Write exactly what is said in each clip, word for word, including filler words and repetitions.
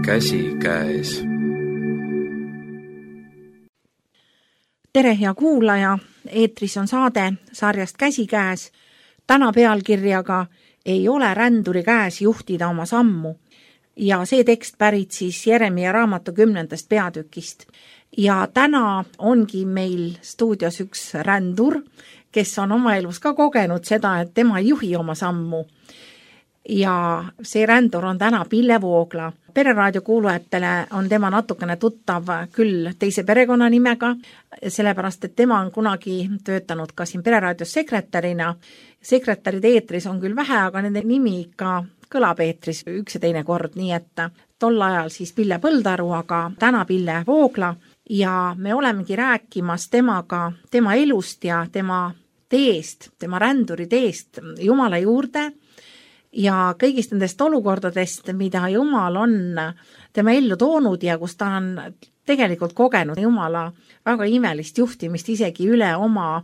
käsikäes. Tere, hea kuulaja! Eetris on saade sarjast Käsikäes. Täna pealkirjaga Ei ole ränduri käes juhtida oma sammu. Ja see tekst pärit siis Jeremia raamatu kümnendast peatükist. Ja täna ongi meil stuudios üks rändur, kes on oma elus ka kogenud seda, et tema ei juhi oma sammu. Ja see rändur on täna Pille Voogla. Pereraadio kuulujatele on tema natukene tuttav küll teise perekonnanimega, sellepärast, et tema on kunagi töötanud ka siin Pereraadios sekretärina. Sekretärid eetris on küll vähe, aga nende nimi ikka kõlab eetris üks ja teine kord, nii et tol ajal siis Pille Põldaru, aga täna Pille Voogla. Ja me olemegi rääkimas temaga, tema elust ja tema teest, tema ränduri teest Jumala juurde ja kõigist nendest olukordadest, mida Jumal on tema ellu toonud ja kus ta on tegelikult kogenud Jumala väga imelist juhtimist isegi üle oma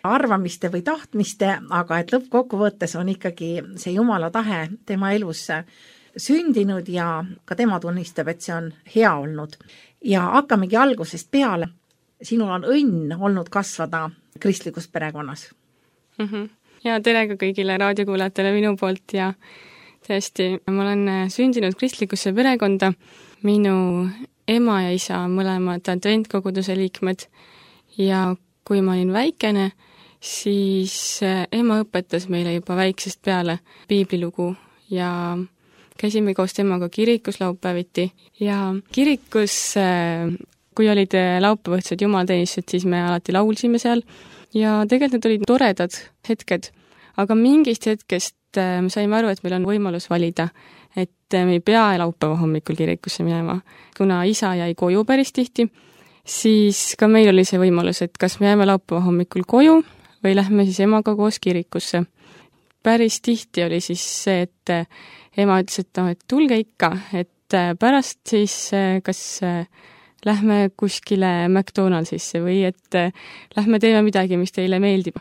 arvamiste või tahtmiste, aga et lõppkokkuvõttes on ikkagi see Jumala tahe tema elus sündinud ja ka tema tunnistab, et see on hea olnud. Ja hakkamegi algusest peale. Sinul on õnn olnud kasvada kristlikus perekonnas. Mm-hmm. Ja tere ka kõigile raadiokuulajatele minu poolt ja tõesti, ma olen sündinud kristlikusse perekonda. Minu ema ja isa on mõlemad adventkoguduse liikmed ja kui ma olin väikene, siis ema õpetas meile juba väiksest peale piiblilugu ja käisime koos temaga kirikus laupäeviti ja kirikus, kui olid laupäevõhtsed jumalateenistused, siis me alati laulsime seal ja tegelikult need olid toredad hetked, aga mingist hetkest me saime aru, et meil on võimalus valida, et me ei pea laupäeva hommikul kirikusse minema. Kuna isa jäi koju päris tihti, siis ka meil oli see võimalus, et kas me jääme laupäeva hommikul koju või lähme siis emaga koos kirikusse. Päris tihti oli siis see, et ema ütles, et, no, et tulge ikka, et pärast siis kas lähme kuskile McDonaldsisse või et lähme teeme midagi, mis teile meeldib.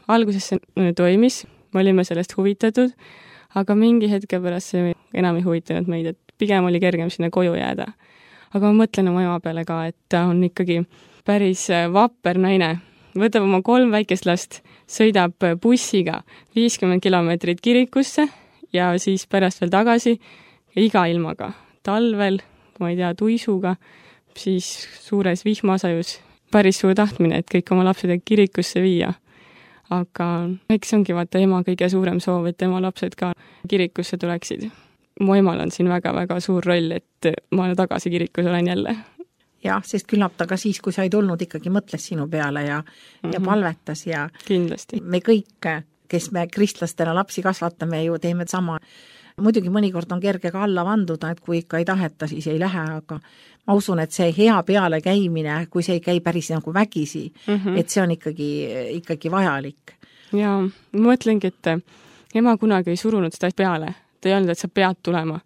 Alguses see toimis, me olime sellest huvitatud, aga mingi hetke pärast see enam ei huvitanud meid, et pigem oli kergem sinna koju jääda. Aga ma mõtlen oma ema peale ka, et ta on ikkagi päris vapper naine. Võtab oma kolm väikest last, sõidab bussiga viiskümmend kilomeetrit kirikusse ja siis pärast veel tagasi iga ilmaga. Talvel, ma ei tea, tuisuga, siis suures vihmasajus päris suur tahtmine, et kõik oma lapsed kirikusse viia. Aga eks ongi vaata ema kõige suurem soov, et tema lapsed ka kirikusse tuleksid. Mu emal on siin väga-väga suur roll, et ma tagasi kirikus olen jälle. Jah, sest küllap ta ka siis, kui sa ei tulnud, ikkagi mõtles sinu peale ja, mm-hmm. ja palvetas. Ja kindlasti. Me kõik, kes me kristlastena lapsi kasvatame, ju teeme sama. Muidugi mõnikord on kerge ka alla vanduda, et kui ikka ei taheta, siis ei lähe, aga ma usun, et see hea peale käimine, kui see ei käi päris nagu vägisi, mm-hmm. et see on ikkagi, ikkagi vajalik. Ja ma mõtlengi, et ema kunagi ei surunud seda peale. Ta ei olnud, et sa pead tulema,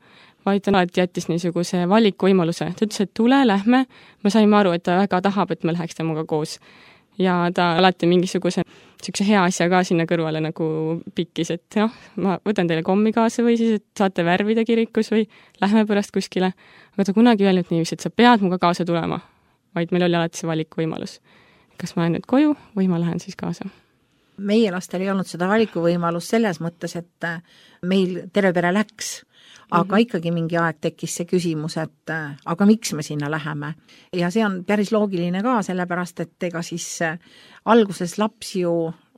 vaid ta alati jättis niisuguse valikuvõimaluse. Ta ütles, et tule, lähme. Ma saime aru, et ta väga tahab, et me läheks temaga koos. Ja ta alati mingisuguse niisuguse hea asja ka sinna kõrvale nagu pikkis, et noh, ma võtan teile kommi kaasa või siis, et saate värvida kirikus või lähme pärast kuskile. Aga ta kunagi öelnud niiviisi, et sa pead muga kaasa tulema, vaid meil oli alati see valikuvõimalus. Kas ma lähen nüüd koju või ma lähen siis kaasa? Meie lastel ei olnud seda valikuvõimalus selles mõttes, et meil terve pere läks, aga mm-hmm. ikkagi mingi aeg tekkis see küsimus, et aga miks me sinna läheme. Ja see on päris loogiline ka, sellepärast, et ega siis alguses laps ju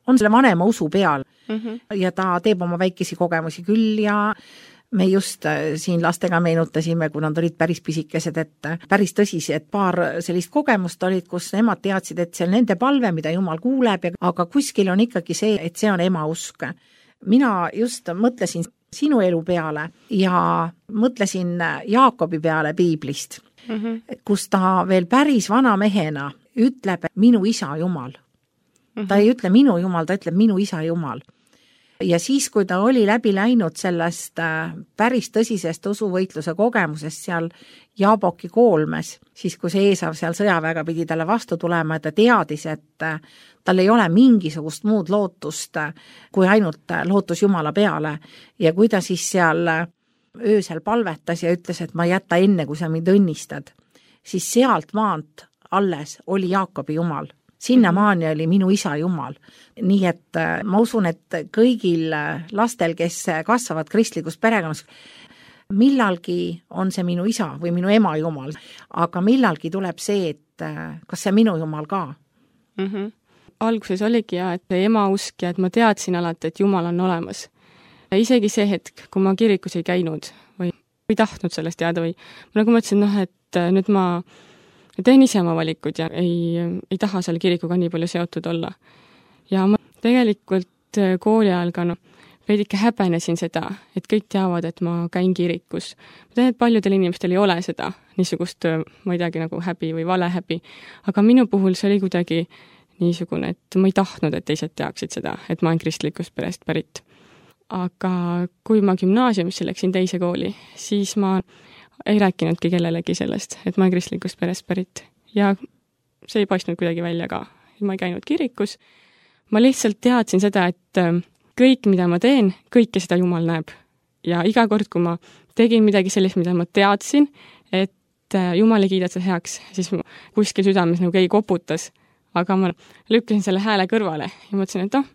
on selle vanema usu peal mm-hmm. ja ta teeb oma väikesi kogemusi küll ja me just siin lastega meenutasime, kui nad olid päris pisikesed, et päris tõsised paar sellist kogemust olid, kus emad teadsid, et see on nende palve, mida Jumal kuuleb, aga kuskil on ikkagi see, et see on ema usk. Mina just mõtlesin sinu elu peale ja mõtlesin Jaakobi peale piiblist, mm-hmm. kus ta veel päris vana mehena ütleb minu isa Jumal. Mm-hmm. Ta ei ütle minu Jumal, ta ütleb minu isa Jumal. Ja siis, kui ta oli läbi läinud sellest päris tõsisest usuvõitluse kogemusest seal Jaaboki koolmes, siis kui see Eesav seal sõjaväega pidi talle vastu tulema, et ta teadis, et tal ei ole mingisugust muud lootust, kui ainult lootus Jumala peale. Ja kui ta siis seal öösel palvetas ja ütles, et ma ei jäta enne, kui sa mind õnnistad, siis sealt maant alles oli Jaakobi jumal. Sinnamaani oli minu isa jumal. Nii et ma usun, et kõigil lastel, kes kasvavad kristlikus perekonnas, millalgi on see minu isa või minu ema jumal, aga millalgi tuleb see, et kas see minu jumal ka. Mm-hmm. Alguses oligi ja, et ema usk ja et ma teadsin alati, et jumal on olemas. Ja isegi see hetk, kui ma kirikus ei käinud või ei tahtnud sellest teada või nagu ma ütlesin, noh, et nüüd ma teen ise oma valikud ja ei, ei taha seal kirikuga nii palju seotud olla. Ja ma tegelikult kooli ajal ka no, veidike häbenesin seda, et kõik teavad, et ma käin kirikus. Ma tean, et paljudel inimestel ei ole seda niisugust, ma ei teagi, nagu häbi või valehäbi, aga minu puhul see oli kuidagi niisugune, et ma ei tahtnud, et teised teaksid seda, et ma olen kristlikust perest pärit. Aga kui ma gümnaasiumisse läksin teise kooli, siis ma ei rääkinudki kellelegi sellest, et ma olen kristlikust perest pärit. Ja see ei paistnud kuidagi välja ka. Ma ei käinud kirikus. Ma lihtsalt teadsin seda, et kõik, mida ma teen, kõike seda Jumal näeb. Ja iga kord, kui ma tegin midagi sellist, mida ma teadsin, et Jumal ei kiida seda heaks, siis kuskil südames nagu keegi koputas, aga ma lükkasin selle hääle kõrvale ja mõtlesin, et oh,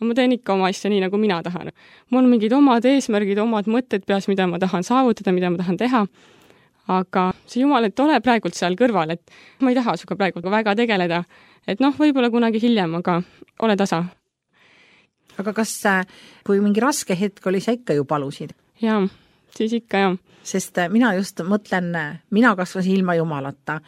ma teen ikka oma asja nii, nagu mina tahan. Mul on mingid omad eesmärgid, omad mõtted peas, mida ma tahan saavutada, mida ma tahan teha. Aga see Jumal, et ole praegult seal kõrval, et ma ei taha suga praegu väga tegeleda. Et noh, võib-olla kunagi hiljem, aga ole tasa. Aga kas, kui mingi raske hetk oli, sa ikka ju palusid? Jaa, siis ikka jah. Sest mina just mõtlen, mina kasvasin ilma Jumalata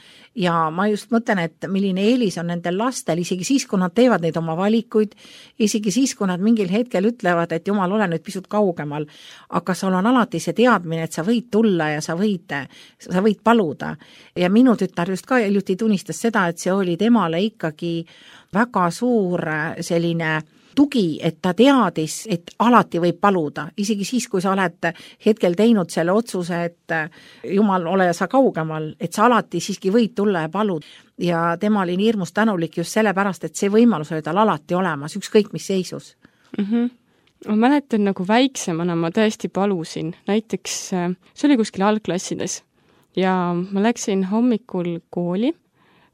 ja ma just mõtlen, et milline eelis on nendel lastel, isegi siis, kui nad teevad neid oma valikuid, isegi siis, kui nad mingil hetkel ütlevad, et Jumal, ole nüüd pisut kaugemal, aga sul on alati see teadmine, et sa võid tulla ja sa võid, sa võid paluda. Ja minu tütar just ka hiljuti tunnistas seda, et see oli temale ikkagi väga suur selline tugi, et ta teadis, et alati võib paluda, isegi siis, kui sa oled hetkel teinud selle otsuse, et Jumal, ole sa kaugemal, et sa alati siiski võid tulla ja paluda. Ja tema oli nii hirmus tänulik just sellepärast, et see võimalus oli tal alati olemas, ükskõik mis seisus. Mm-hmm. Ma mäletan, nagu väiksemana ma tõesti palusin, näiteks see oli kuskil algklassides ja ma läksin hommikul kooli.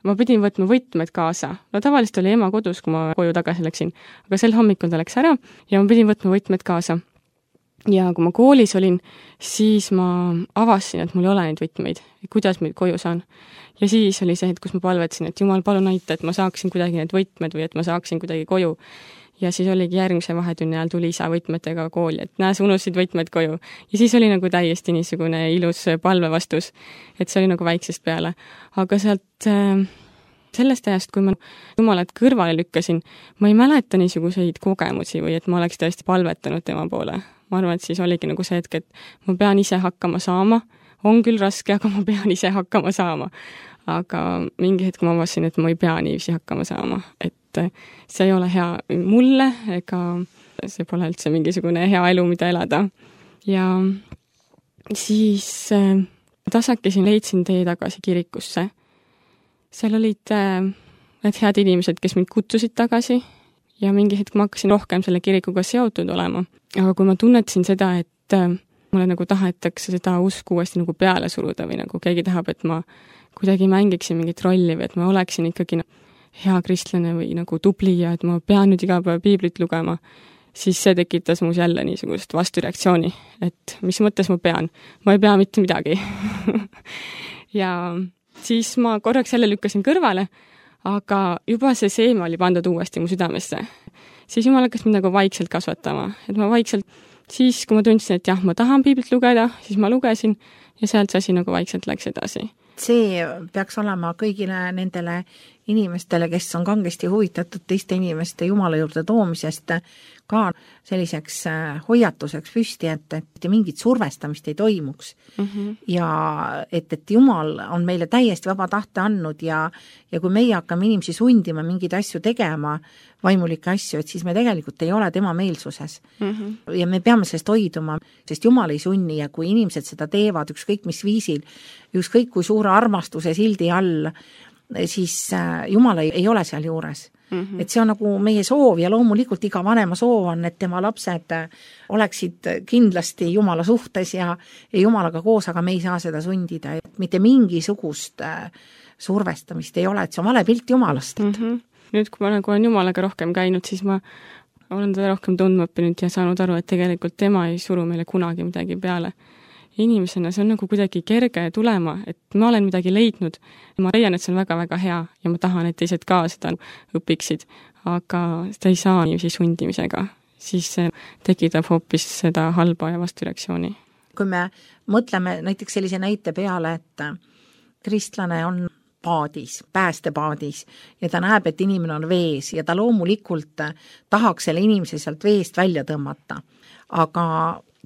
Ma pidin võtma võtmed kaasa. No tavaliselt oli ema kodus, kui ma koju tagasi läksin, aga sel hommikul ta läks ära ja ma pidin võtma võtmed kaasa. Ja kui ma koolis olin, siis ma avasin, et mul ei ole neid võtmeid, kuidas ma koju saan. Ja siis oli see, et kus ma palvetasin, et Jumal, palun aita, et ma saaksin kuidagi need võtmed või et ma saaksin kuidagi koju. Ja siis oligi järgmise vahetunni ajal tuli isa võtmetega kooli, et näe, sa unustasid võtmed koju. Ja siis oli nagu täiesti niisugune ilus palvevastus, et see oli nagu väiksest peale. Aga sealt äh, sellest ajast, kui ma Jumalat kõrvale lükkasin, ma ei mäleta niisuguseid kogemusi või et ma oleks tõesti palvetanud tema poole. Ma arvan, et siis oligi nagu see hetk, et ma pean ise hakkama saama. On küll raske, aga ma pean ise hakkama saama. Aga mingi hetk ma avasin, et ma ei pea niiviisi hakkama saama, et see ei ole hea mulle, ega see pole üldse mingisugune hea elu, mida elada. Ja siis äh, tasakesi leidsin tee tagasi kirikusse. Seal olid äh, need head inimesed, kes mind kutsusid tagasi ja mingi hetk ma hakkasin rohkem selle kirikuga seotud olema. Aga kui ma tunnetasin seda, et äh, mulle nagu tahetakse seda usku uuesti nagu peale suruda või nagu keegi tahab, et ma kuidagi mängiksin mingit rolli või et ma oleksin ikkagi hea kristlane või nagu tubli ja et ma pean nüüd iga päev piiblit lugema, siis see tekitas muus jälle niisugust vastureaktsiooni, et mis mõttes ma pean. Ma ei pea mitte midagi. Ja siis ma korraks jälle lükkasin kõrvale, aga juba see seeme oli pandud uuesti mu südamesse. Siis Jumal hakkas mind nagu vaikselt kasvatama, et ma vaikselt, siis kui ma tundsin, et jah, ma tahan piiblit lugeda, siis ma lugesin ja sealt see asi nagu vaikselt läks edasi. See peaks olema kõigile nendele inimestele, kes on kangesti huvitatud teiste inimeste Jumala juurde toomisest, ka selliseks hoiatuseks püsti, et, et mingit survestamist ei toimuks. Mm-hmm. Ja et, et Jumal on meile täiesti vaba tahte andnud ja, ja kui meie hakkame inimesi sundima mingeid asju tegema, vaimulikke asju, et siis me tegelikult ei ole tema meelsuses. Mm-hmm. Ja me peame sellest hoiduma, sest Jumal ei sunni ja kui inimesed seda teevad ükskõik mis viisil, ükskõik kui suure armastuse sildi all, siis Jumal ei, ei ole seal juures. Mm-hmm. Et see on nagu meie soov ja loomulikult iga vanema soov on, et tema lapsed oleksid kindlasti Jumala suhtes ja, ja Jumalaga koos, aga me ei saa seda sundida. Et mitte mingisugust survestamist ei ole, et see on vale pilt Jumalast. Mm-hmm. Nüüd, kui ma nagu olen Jumalaga rohkem käinud, siis ma olen teda rohkem tundma õppinud ja saanud aru, et tegelikult tema ei suru meile kunagi midagi peale. Inimesena see on nagu kuidagi kerge tulema, et ma olen midagi leidnud. Ma leian, et see on väga-väga hea ja ma tahan, et teised ka seda õpiksid, aga seda ei saa niiviisi sundimisega. Siis see tekitab hoopis seda halba ja vastureaktsiooni. Kui me mõtleme näiteks sellise näite peale, et kristlane on paadis, päästepaadis ja ta näeb, et inimene on vees ja ta loomulikult tahaks selle inimese sealt veest välja tõmmata. Aga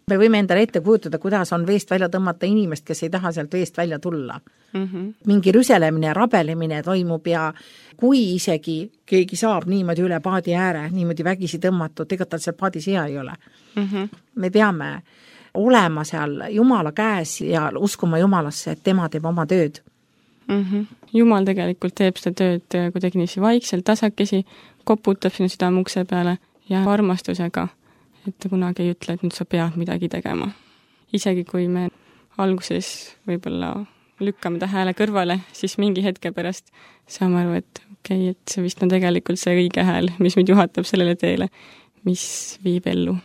me võime endale ette kujutada, kuidas on veest välja tõmmata inimest, kes ei taha sealt veest välja tulla. Mm-hmm. Mingi rüselemine ja rabelemine toimub ja kui isegi keegi saab niimoodi üle paadi ääre, niimoodi vägisi tõmmatud, ega tal seal paadis hea ei ole. Mm-hmm. Me peame olema seal Jumala käes ja uskuma Jumalasse, et tema teeb oma tööd. Mm-hmm. Jumal tegelikult teeb seda tööd kuidagi niiviisi vaikselt, tasakesi, koputab sinna südame ukse peale ja armastusega, et ta kunagi ei ütle, et nüüd sa pead midagi tegema. Isegi kui me alguses võib-olla lükkame ta hääle kõrvale, siis mingi hetke pärast saame aru, et okei, okay, et see vist on tegelikult see õige hääl, mis meid juhatab sellele teele, mis viib ellu.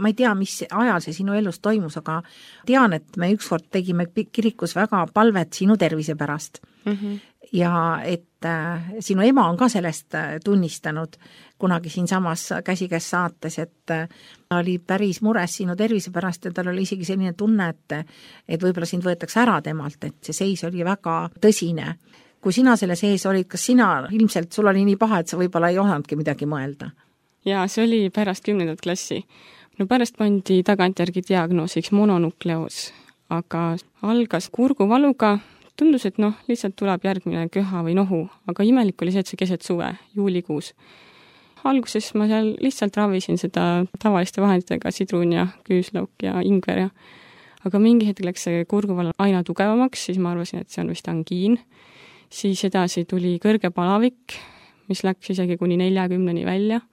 Ma ei tea, mis ajal see sinu elus toimus, aga tean, et me ükskord tegime kirikus väga palvet sinu tervise pärast. Mm-hmm. Ja et äh, sinu ema on ka sellest äh, tunnistanud kunagi siin samas käsikäes saates, et äh, oli päris mures sinu tervise pärast ja tal oli isegi selline tunne, et, et võib-olla sind võetakse ära temalt, et see seis oli väga tõsine. Kui sina selle sees olid, kas sina ilmselt, sul oli nii paha, et sa võib-olla ei osanudki midagi mõelda? Jaa, see oli pärast kümnendat klassi. No pärast pandi tagantjärgi diagnoosiks mononukleoos, aga algas kurguvaluga. Tundus, et noh, lihtsalt tuleb järgmine köha või nohu, aga imelik oli see, et see keset suve, juulikuus. Alguses ma seal lihtsalt ravisin seda tavaliste vahenditega, sidrun ja küüslauk ja ingver ja aga mingi hetk läks see kurguval aina tugevamaks, siis ma arvasin, et see on vist angiin. Siis edasi tuli kõrge palavik, mis läks isegi kuni neljakümneni välja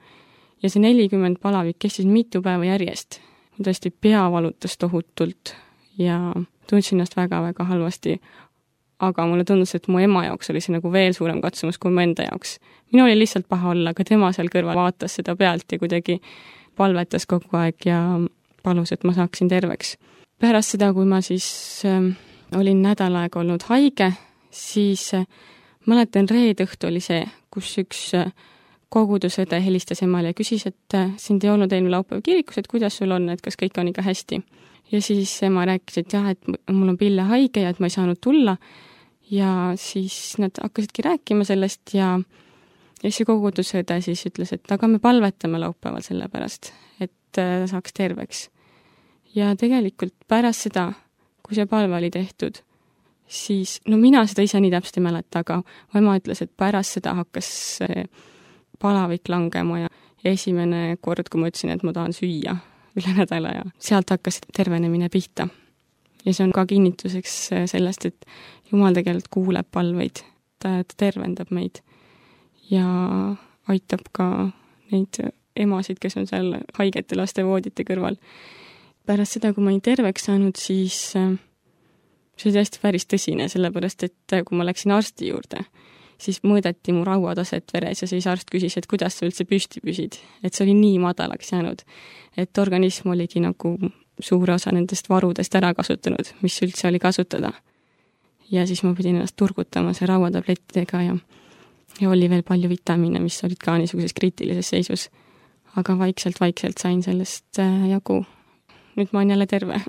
ja see nelikümmend palavik kestis mitu päeva järjest. Tõesti pea valutas tohutult ja tundsin ennast väga-väga halvasti. Aga mulle tundus, et mu ema jaoks oli see nagu veel suurem katsumus kui mu enda jaoks. Minu oli lihtsalt paha olla, aga tema seal kõrval vaatas seda pealt ja kuidagi palvetas kogu aeg ja palus, et ma saaksin terveks. Pärast seda, kui ma siis äh, olin nädal aega olnud haige, siis äh, mäletan reede õhtu oli see, kus üks äh, kogudusõde helistas emale ja küsis, et äh, sind ei olnud eelmine laupäev kirikus, et kuidas sul on, et kas kõik on ikka hästi. Ja siis ema rääkis, et jah, et mul on pille haige ja et ma ei saanud tulla. Ja siis nad hakkasidki rääkima sellest ja, ja see kogudusõde siis ütles, et aga me palvetame laupäeval selle pärast, et äh, saaks terveks. Ja tegelikult pärast seda, kui see palve oli tehtud, siis, no mina seda ise nii täpselt ei mäleta, aga ema ütles, et pärast seda hakkas see palavik langema ja esimene kord, kui ma ütlesin, et ma tahan süüa üle nädala ja sealt hakkas tervenemine pihta. Ja see on ka kinnituseks sellest, et Jumal tegelikult kuuleb palveid, ta, ta tervendab meid ja aitab ka neid emasid, kes on seal haigete laste voodite kõrval. Pärast seda, kui ma olin terveks saanud, siis see oli hästi päris tõsine, sellepärast, et kui ma läksin arsti juurde, siis mõõdeti mu rauataset veres ja siis arst küsis, et kuidas sa üldse püsti püsid. Et see oli nii madalaks jäänud, et organism oligi nagu suure osa nendest varudest ära kasutanud, mis üldse oli kasutada. Ja siis ma pidin ennast turgutama see rauatablettidega ja, ja oli veel palju vitamiine, mis olid ka niisuguses kriitilises seisus. Aga vaikselt-vaikselt sain sellest jagu. Nüüd ma olen jälle terve.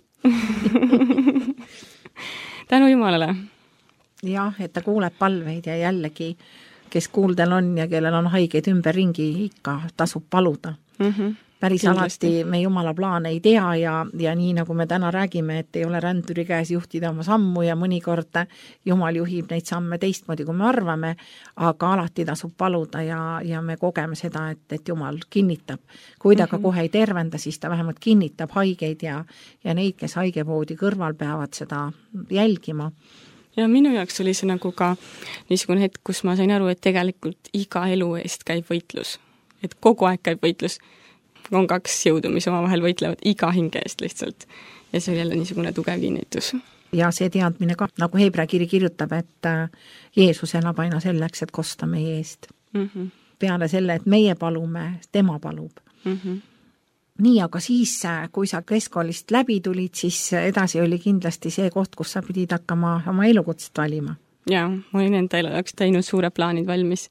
Tänu Jumalale. Jah, et ta kuuleb palveid ja jällegi, kes kuuldel on ja kellel on haigeid ümber ringi, ikka tasub paluda. Mm-hmm. Päris Kindlasti. Alati me Jumala plaane ei tea ja, ja nii nagu me täna räägime, et ei ole ränduri käes juhtida oma sammu ja mõnikord Jumal juhib neid samme teistmoodi, kui me arvame, aga alati tasub paluda ja, ja me kogeme seda, et, et Jumal kinnitab. Kui ta mm-hmm. ka kohe ei tervenda, siis ta vähemalt kinnitab haigeid ja, ja neid, kes haigevoodi kõrval peavad seda jälgima. ja minu jaoks oli see nagu ka niisugune hetk, kus ma sain aru, et tegelikult iga elu eest käib võitlus. Et kogu aeg käib võitlus. On kaks jõudu, mis omavahel võitlevad iga hinge eest lihtsalt. Ja see oli jälle niisugune tugev kinnitus. Ja see teadmine ka, nagu Hebra kiri kirjutab, et Jeesus elab aina selleks, et kosta meie eest. Mm-hmm. Peale selle, et meie palume, tema palub. Mm-hmm. Nii, aga siis, kui sa keskkoolist läbi tulid, siis edasi oli kindlasti see koht, kus sa pidid hakkama oma elukutset valima. Jaa, ma olin enda elu jaoks teinud suure plaanid valmis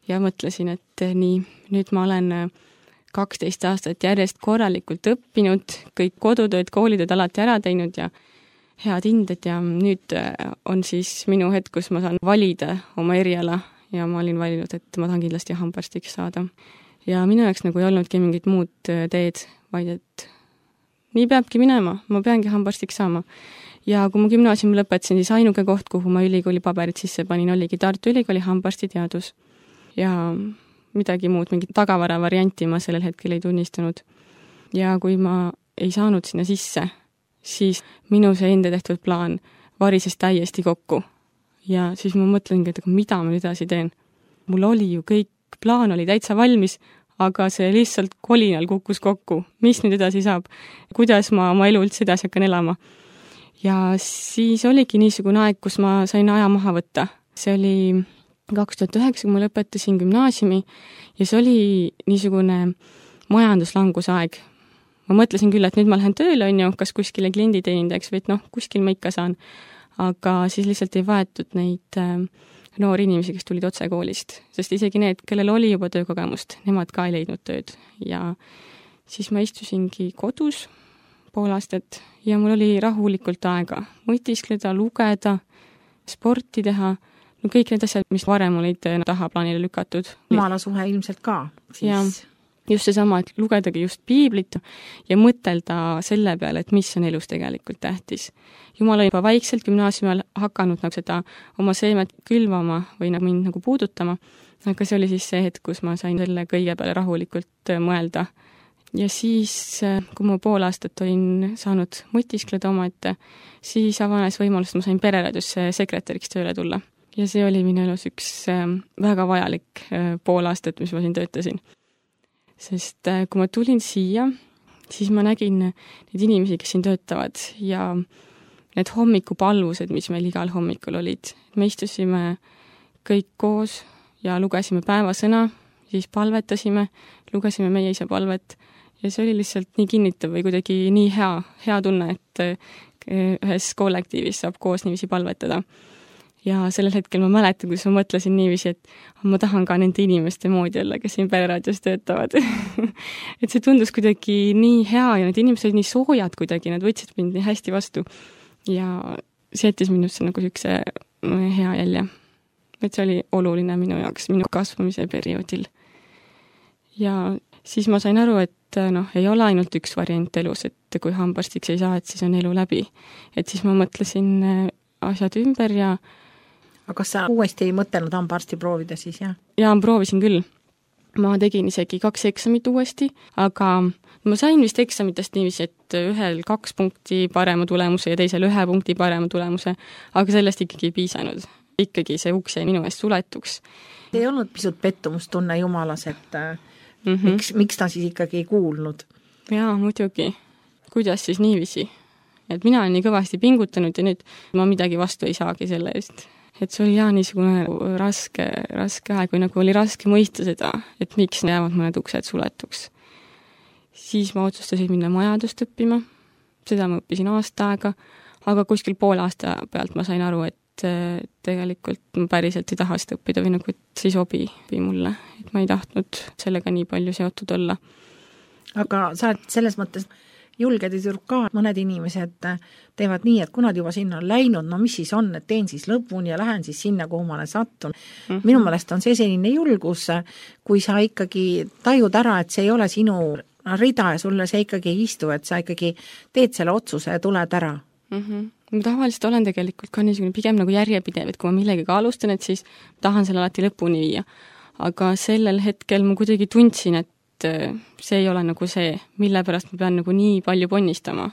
ja mõtlesin, et nii, nüüd ma olen kaksteist aastat järjest korralikult õppinud, kõik kodutööd, koolitööd alati ära teinud ja head hinded ja nüüd on siis minu hetk, kus ma saan valida oma eriala ja ma olin valinud, et ma tahan kindlasti hambaarstiks saada. Ja minu jaoks nagu ei olnudki mingit muud teed, vaid et nii peabki minema, ma peangi hambaarstiks saama. Ja kui ma gümnaasiumi lõpetasin, siis ainuke koht, kuhu ma ülikooli paberid sisse panin, oligi Tartu Ülikooli hambaarstiteadus. Ja midagi muud, mingit tagavara varianti ma sellel hetkel ei tunnistanud. Ja kui ma ei saanud sinna sisse, siis minu see enda tehtud plaan varises täiesti kokku. Ja siis ma mõtlengi, et mida ma nüüd edasi teen. Mul oli ju kõik, plaan oli täitsa valmis, aga see lihtsalt kolinal kukkus kokku. Mis nüüd edasi saab? Kuidas ma oma elu üldse edasi hakkan elama? Ja siis oligi niisugune aeg, kus ma sain aja maha võtta. See oli kaks tuhat üheksa, kui ma lõpetasin gümnaasiumi ja see oli niisugune majanduslangusaeg. Ma mõtlesin küll, et nüüd ma lähen tööle, on ju, kas kuskile klienditeenindajaks või et noh, kuskil ma ikka saan. Aga siis lihtsalt ei vaetud neid äh, noori inimesi, kes tulid otse koolist, sest isegi need, kellel oli juba töökogemust, nemad ka ei leidnud tööd. Ja siis ma istusingi kodus pool aastat ja mul oli rahulikult aega mõtiskleda, lugeda, sporti teha, no kõik need asjad, mis varem olid taha plaanile lükatud. Jumalasuhe ilmselt ka. Siis... Ja just seesama, et lugedagi just piiblit ja mõtelda selle peale, et mis on elus tegelikult tähtis. Jumal on juba vaikselt gümnaasiumil hakanud nagu seda oma seemet külvama või nagu mind nagu puudutama, aga see oli siis see hetk, kus ma sain selle kõige peale rahulikult mõelda. Ja siis, kui ma pool aastat olin saanud mõtiskleda omaette, siis avanes võimalus, et ma sain pereraadiosse sekretäriks tööle tulla. Ja see oli minu elus üks väga vajalik pool aastat, mis ma siin töötasin. Sest kui ma tulin siia, siis ma nägin neid inimesi, kes siin töötavad ja need hommikupalvused, mis meil igal hommikul olid. Me istusime kõik koos ja lugesime päevasõna, siis palvetasime, lugesime meie isa palvet ja see oli lihtsalt nii kinnitav või kuidagi nii hea, hea tunne, et ühes kollektiivis saab koos niiviisi palvetada. Ja sellel hetkel ma mäletan, kus ma mõtlesin niiviisi, et ma tahan ka nende inimeste moodi olla, kes siin pereraadios töötavad. Et see tundus kuidagi nii hea ja need inimesed olid nii soojad kuidagi, nad võtsid mind nii hästi vastu. Ja see jättis minusse nagu üks hea jälje. Et see oli oluline minu jaoks, minu kasvamise perioodil. Ja siis ma sain aru, et noh, ei ole ainult üks variant elus, et kui hambaarstiks ei saa, et siis on elu läbi. Et siis ma mõtlesin asjad ümber ja aga kas sa uuesti ei mõtelnud hambaarsti proovida siis, jah? Jaa, proovisin küll. Ma tegin isegi kaks eksamit uuesti, aga ma sain vist eksamitest niiviisi, et ühel kaks punkti parema tulemuse ja teisel ühe punkti parema tulemuse, aga sellest ikkagi ei piisanud. Ikkagi see uks jäi minu eest suletuks. Ei olnud pisut pettumustunne Jumalas, et mm-hmm. miks, miks ta siis ikkagi ei kuulnud? Jaa, muidugi. Kuidas siis niiviisi? Et mina olen nii kõvasti pingutanud ja nüüd ma midagi vastu ei saagi selle eest. Et see oli jah niisugune raske, raske aeg, või nagu oli raske mõista seda, et miks jäävad mõned uksed suletuks. Siis ma otsustasin minna majandust õppima, seda ma õppisin aasta aega, aga kuskil poole aasta pealt ma sain aru, et tegelikult ma päriselt ei taha seda õppida või nagu, et see ei sobi mulle, et ma ei tahtnud sellega nii palju seotud olla. Aga sa oled selles mõttes julged ja ka mõned inimesed teevad nii, et kui nad juba sinna on läinud, no mis siis on, et teen siis lõpuni ja lähen siis sinna, kuhu ma olen sattun. Mm-hmm. Minu meelest on see selline julgus, kui sa ikkagi tajud ära, et see ei ole sinu rida ja sulle see ikkagi ei istu, et sa ikkagi teed selle otsuse ja tuled ära. Mm-hmm. Ma tavaliselt olen tegelikult ka niisugune pigem nagu järjepidev, et kui ma millegagi alustan, et siis tahan selle alati lõpuni viia. Aga sellel hetkel ma kuidagi tundsin, et see ei ole nagu see, mille pärast ma pean nagu nii palju ponnistama.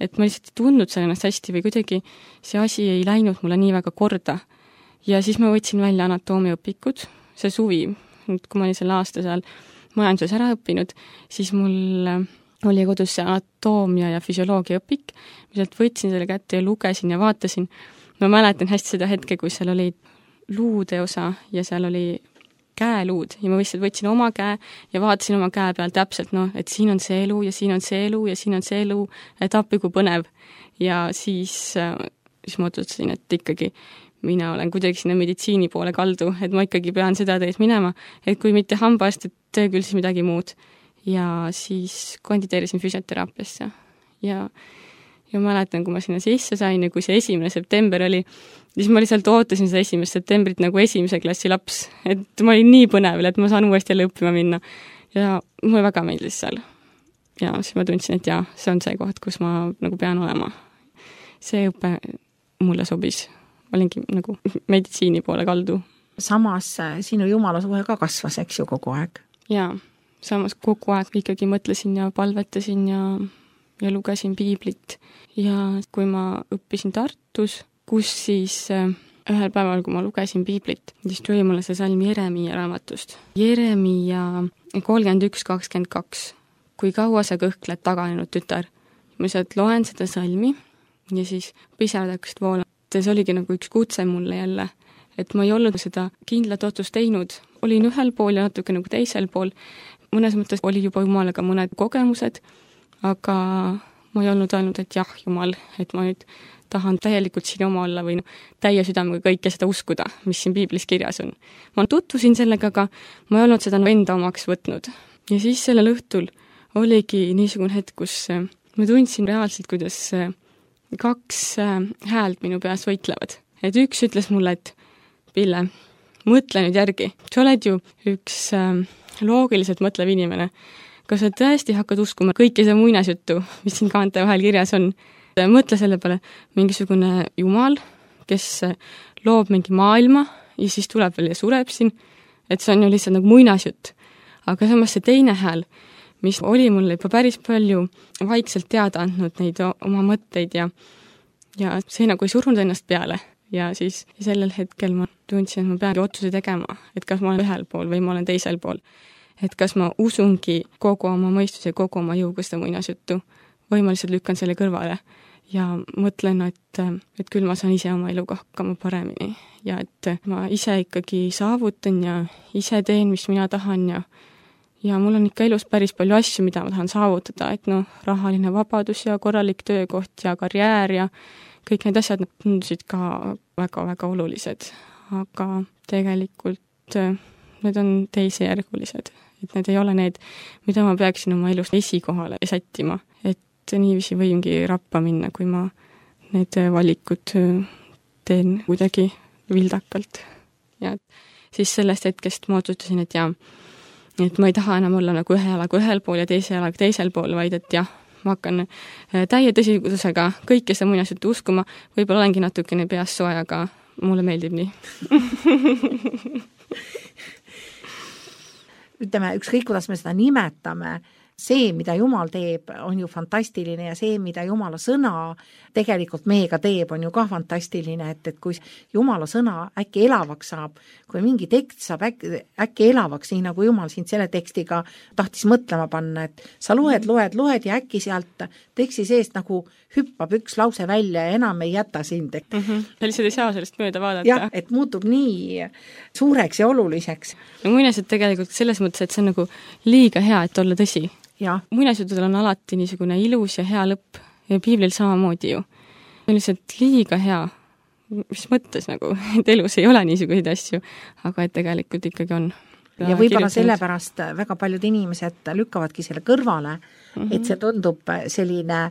et ma lihtsalt ei tundnud seal ennast hästi või kuidagi see asi ei läinud mulle nii väga korda. Ja siis ma võtsin välja anatoomiaõpikud, see suvi, kui ma olin selle aasta seal majanduses ära õppinud, siis mul oli kodus see anatoomia ja füsioloogia õpik, ma sealt võtsin selle kätte ja lugesin ja vaatasin. Ma mäletan hästi seda hetke, kui seal oli luude osa ja seal oli käeluud ja ma lihtsalt võtsin oma käe ja vaatasin oma käe peal täpselt, noh, et siin on see elu ja siin on see elu ja siin on see elu, et appi kui põnev. Ja siis, siis ma otsustasin, et ikkagi mina olen kuidagi sinna meditsiini poole kaldu, et ma ikkagi pean seda teed minema, et kui mitte hambaarst, et küll siis midagi muud. Ja siis kandideerisin füsioteraapiasse ja, ja mäletan, kui ma sinna sisse sain ja kui see esimene september oli, siis ma lihtsalt ootasin seda esimest septembrit nagu esimese klassi laps, et ma olin nii põnev, et ma saan uuesti jälle õppima minna ja mulle väga meeldis seal. Ja siis ma tundsin, et jaa, see on see koht, kus ma nagu pean olema. See õpe mulle sobis. Ma olingi nagu meditsiini poole kaldu. Samas sinu jumalasuhe ka kasvas, eks ju, kogu aeg? Jaa, samas kogu aeg ikkagi mõtlesin ja palvetasin ja, ja lugesin piiblit. Ja kui ma õppisin Tartus, kus siis ühel päeval, kui ma lugesin piiblit, siis tuli mulle see salm Jeremia raamatust. Jeremia kolmkümmend üks kakskümmend kaks. Kui kaua sa kõhkled taganenud tütar? Ma sealt loen seda salmi ja siis pisarad hakkasid voolama. See oligi nagu üks kutse mulle jälle, et ma ei olnud seda kindlat otsust teinud. Olin ühel pool ja natuke nagu teisel pool. Mõnes mõttes oli juba Jumalaga mõned kogemused, aga ma ei olnud ainult, et jah, Jumal, et ma nüüd tahan täielikult siin oma olla või no, täie südamega kõike seda uskuda, mis siin piiblis kirjas on. Ma tutvusin sellega, aga ma ei olnud seda enda omaks võtnud. Ja siis sellel õhtul oligi niisugune hetk, kus ma tundsin reaalselt, kuidas kaks häält minu peas võitlevad. Et üks ütles mulle, et Pille, mõtle nüüd järgi. Sa oled ju üks loogiliselt mõtlev inimene. Kas sa tõesti hakkad uskuma kõike see muinasjuttu, mis siin kaante vahel kirjas on? Mõtle selle peale mingisugune Jumal, kes loob mingi maailma ja siis tuleb veel ja sureb siin. Et see on ju lihtsalt nagu muinasjutt. Aga samas see teine hääl, mis oli mulle juba päris palju vaikselt teada andnud neid oma mõtteid ja, ja see nagu ei surunud ennast peale. Ja siis sellel hetkel ma tundsin, et ma pean otsuse tegema, et kas ma olen ühel pool või ma olen teisel pool. Et kas ma usungi kogu oma mõistuse ja kogu oma jõuga seda muinasjuttu või ma lihtsalt lükkan selle kõrvale ja mõtlen, et, et küll ma saan ise oma eluga hakkama paremini ja et ma ise ikkagi saavutan ja ise teen, mis mina tahan ja Ja mul on ikka elus päris palju asju, mida ma tahan saavutada, et noh, rahaline vabadus ja korralik töökoht ja karjäär ja kõik need asjad tundusid ka väga-väga olulised. Aga tegelikult need on teisejärgulised, et need ei ole need, mida ma peaksin oma elus esikohale sättima. Et niiviisi võimgi rappa minna, kui ma need valikud teen kuidagi vildakalt. Ja siis sellest hetkest ma otsustasin, et jaa, et ma ei taha enam olla nagu ühe jalaga ühel pool ja teise jalaga teisel pool, vaid et jah, ma hakkan täie tõsidusega kõike seda muinasjuttu uskuma, võib-olla olengi natukene peas soe, aga mulle meeldib nii. Ütleme, ükskõik, kuidas me seda nimetame, see, mida Jumal teeb, on ju fantastiline ja see, mida Jumala sõna tegelikult meiega teeb, on ju ka fantastiline, et, et kui Jumala sõna äkki elavaks saab, kui mingi tekst saab äkki, äkki elavaks, nii nagu Jumal sind selle tekstiga tahtis mõtlema panna, et sa loed, loed, loed ja äkki sealt teksti seest nagu hüppab üks lause välja ja enam ei jäta sind. Mm -hmm. Ja lihtsalt ei saa sellest mööda vaadata. Jah, et muutub nii suureks ja oluliseks. No muinasjutt tegelikult selles mõttes, et see on nagu liiga hea, et olla tõsi. Muinasjutudel on alati niisugune ilus ja hea lõpp ja piiblil samamoodi ju. See on lihtsalt liiga hea, mis mõttes nagu, et elus ei ole niisuguseid asju, aga et tegelikult ikkagi on. Ja võib-olla sellepärast väga paljud inimesed lükkavadki selle kõrvale, mm -hmm. et see tundub selline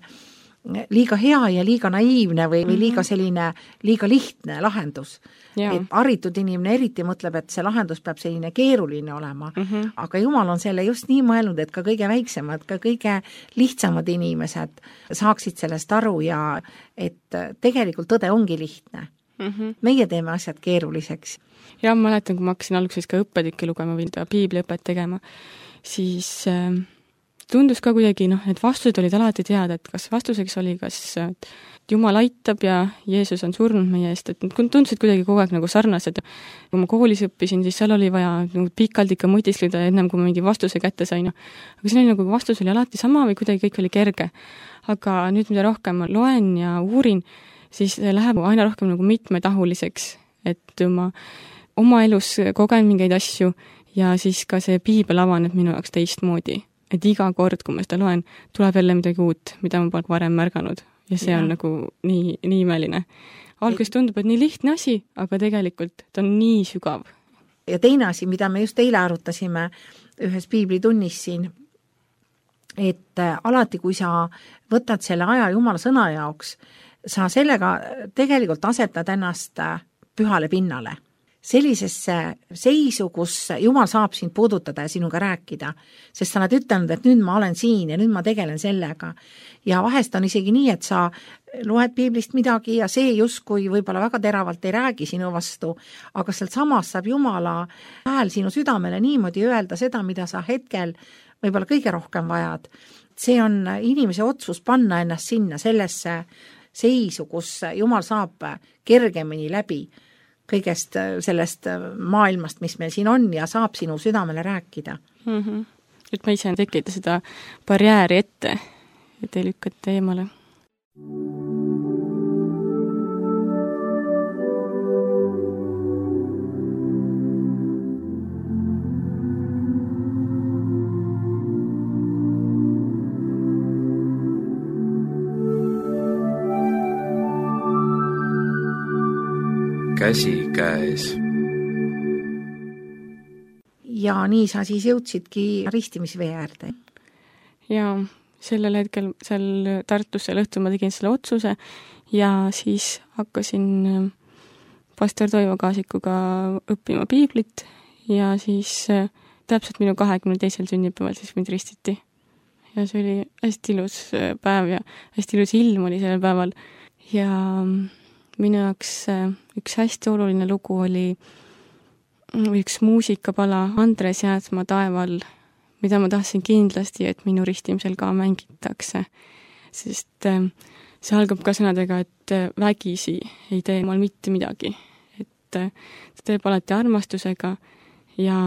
liiga hea ja liiga naiivne või, või liiga selline liiga lihtne lahendus. Ja. Et haritud inimene eriti mõtleb, et see lahendus peab selline keeruline olema, mm -hmm. aga Jumal on selle just nii mõelnud, et ka kõige väiksemad, ka kõige lihtsamad inimesed saaksid sellest aru ja et tegelikult tõde ongi lihtne. Mm -hmm. Meie teeme asjad keeruliseks. Ja ma mäletan, kui ma hakkasin alguses ka õppetükke lugema või piibliõpet tegema, siis äh, tundus ka kuidagi, noh, et vastused olid alati teada, et kas vastuseks oli, kas Jumal aitab ja Jeesus on surnud meie eest, et need tundusid kuidagi kogu aeg nagu sarnased. Kui ma koolis õppisin, siis seal oli vaja nagu pikalt ikka mõtiskleda ennem, kui ma mingi vastuse kätte sain. Aga see oli nagu vastus oli alati sama või kuidagi kõik oli kerge. Aga nüüd, mida rohkem ma loen ja uurin, siis läheb aina rohkem nagu mitmetahuliseks, et ma oma elus kogen mingeid asju ja siis ka see piibel avaneb minu jaoks teistmoodi. Et iga kord, kui ma seda loen, tuleb jälle midagi uut, mida ma pole varem märganud. Ja see on ja. nagu nii, nii imeline. Alguses tundub, et nii lihtne asi, aga tegelikult ta on nii sügav. Ja teine asi, mida me just eile arutasime ühes piiblitunnis siin, et alati, kui sa võtad selle aja Jumala sõna jaoks, sa sellega tegelikult asetad ennast pühale pinnale. Sellisesse seisu, kus Jumal saab sind puudutada ja sinuga rääkida, sest sa oled ütelnud, et nüüd ma olen siin ja nüüd ma tegelen sellega. Ja vahest on isegi nii, et sa loed piiblist midagi ja see justkui võib-olla väga teravalt ei räägi sinu vastu, aga sealt samas saab Jumala hääl sinu südamele niimoodi öelda seda, mida sa hetkel võib-olla kõige rohkem vajad. See on inimese otsus panna ennast sinna sellesse seisu, kus Jumal saab kergemini läbi kõigest sellest maailmast, mis meil siin on ja saab sinu südamele rääkida. Mm-hmm. Et ma ise tekita seda barjääri ette, et ei lükkata eemale. Käsi käes. Ja nii sa siis jõudsidki ristimisvee äärde. Ja sellel hetkel seal Tartus seal õhtul ma tegin selle otsuse ja siis hakkasin pastor Toivo Kaasikuga õppima piiblit ja siis täpselt minu kahekümne teisel sünnipäeval siis mind ristiti. Ja see oli hästi ilus päev ja hästi ilus ilm oli sellel päeval ja minu jaoks üks hästi oluline lugu oli üks muusikapala Andres Jäätsma Taeval, mida ma tahtsin kindlasti, et minu ristimisel ka mängitakse. Sest see algab ka sõnadega, et vägisi ei tee mal mitte midagi. Et ta teeb alati armastusega ja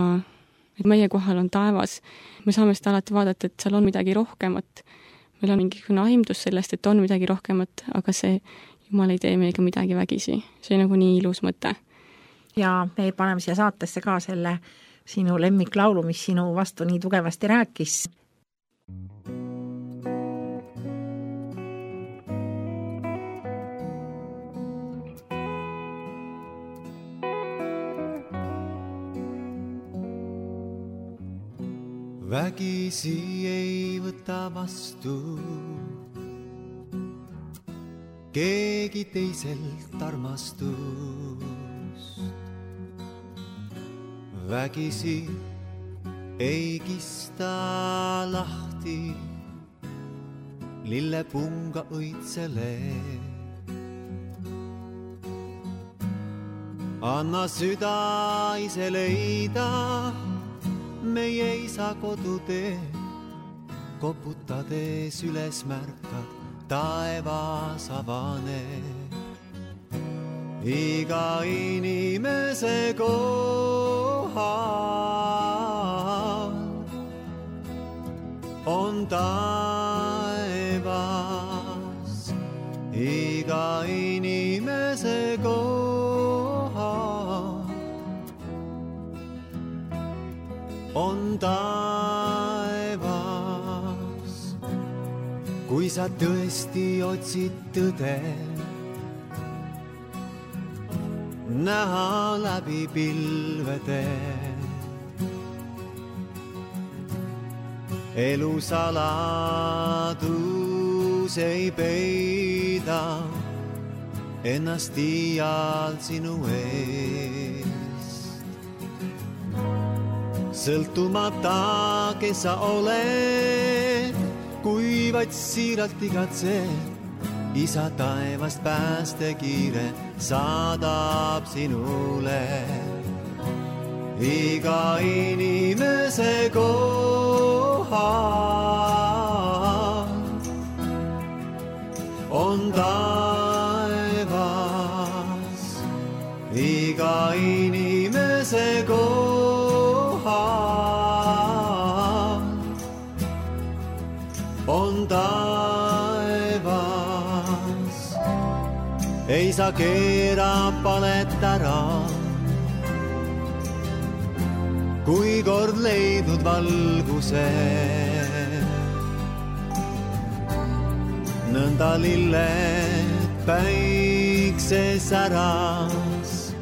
et meie kohal on taevas. Me saame seda alati vaadata, et seal on midagi rohkemat. Meil on mingisugune aimdus sellest, et on midagi rohkemat, aga see Jumal ei tee meiega midagi vägisi. See on nagu nii ilus mõte. Ja me paneme siia saatesse ka selle sinu lemmiklaulu, mis sinu vastu nii tugevasti rääkis. Vägisi ei võta vastu keegi teiselt armastust. Vägisi ei kista lahti lillepunga õitsele. Anna süda ise leida meie isa kodutee, koputades üles märkad taevas avaneb. Iga inimese kohal on taevas. Iga inimese kohal on taevas. Kui sa tõesti otsid tõde, näha läbi pilvede, elu saladus ei peida ennast iial sinu eest. Sõltumata, kes sa oled, kui vaid siiralt igatsed, isa taevast päästekiire saadab sinule. Iga inimese kohal on taevas iga inimese kohal, on taevas, ei saa keera palet ära, kui kord leidnud valguse. Nõnda lilled päikse säras,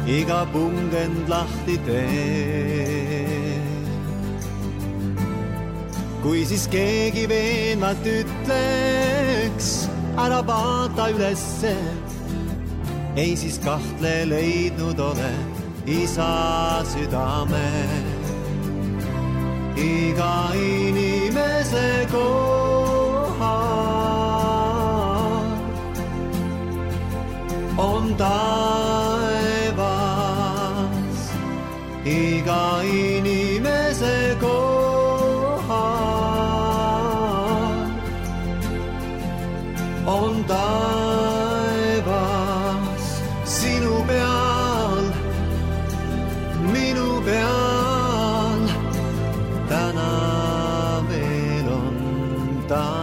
iga pungend lahti tee. Kui siis keegi veenvalt ütleks, ära vaata ülesse, ei siis kahtle leidnud ole isa südame. Iga inimese kohal on taevas, iga inimese kohal on taevas, sinu peal, minu peal, täna veel on taevas.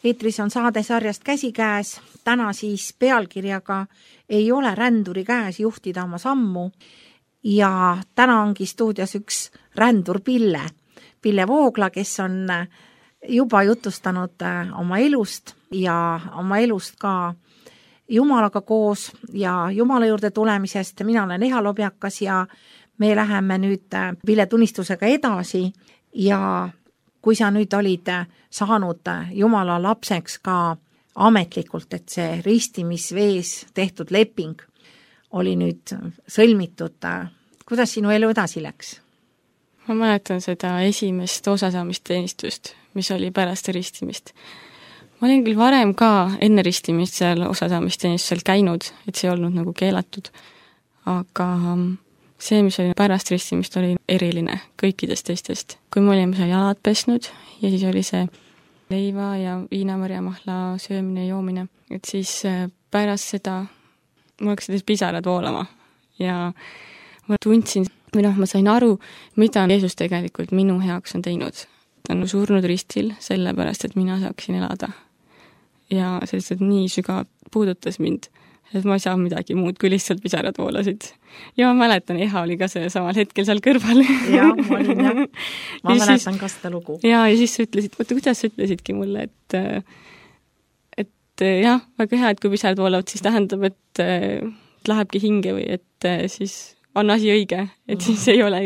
Eetris on saade sarjast Käsikäes, täna siis pealkirjaga Ei ole ränduri käes juhtida oma sammu ja täna ongi stuudios üks rändur Pille, Pille Voogla, kes on juba jutustanud oma elust ja oma elust ka Jumalaga koos ja Jumala juurde tulemisest. Mina olen Eha Lobjakas ja me läheme nüüd Pille tunnistusega edasi ja kui sa nüüd olid saanud Jumala lapseks ka ametlikult, et see ristimisvees tehtud leping oli nüüd sõlmitud, kuidas sinu elu edasi läks? Ma mäletan seda esimest osasaamisteenistust, mis oli pärast ristimist. Ma olin küll varem ka enne ristimist seal osasaamisteenistusel käinud, et see ei olnud nagu keelatud, aga see, mis oli pärast ristimist, oli eriline kõikidest teistest. Kui me olime seal jalad pesnud ja siis oli see leiva ja viinamarjamahla söömine ja joomine, et siis pärast seda mul hakkasid pisarad voolama ja ma tundsin, või noh, ma sain aru, mida Jeesus tegelikult minu heaks on teinud. Ta on surnud ristil sellepärast, et mina saaksin elada. Ja sellised nii sügavalt puudutas mind, et ma ei saa midagi muud, kui lihtsalt pisarad voolasid. Ja ma mäletan, Eha oli ka see samal hetkel seal kõrval. Ja, ma olin jah. Ma ja mäletan siis, ka seda lugu. Ja, ja siis sa ütlesid, võtta, kuidas sa ütlesidki mulle, et, et jah, väga hea, et kui pisarad voolavad, siis tähendab, et lähebki hinge või et siis on asi õige, et siis ei ole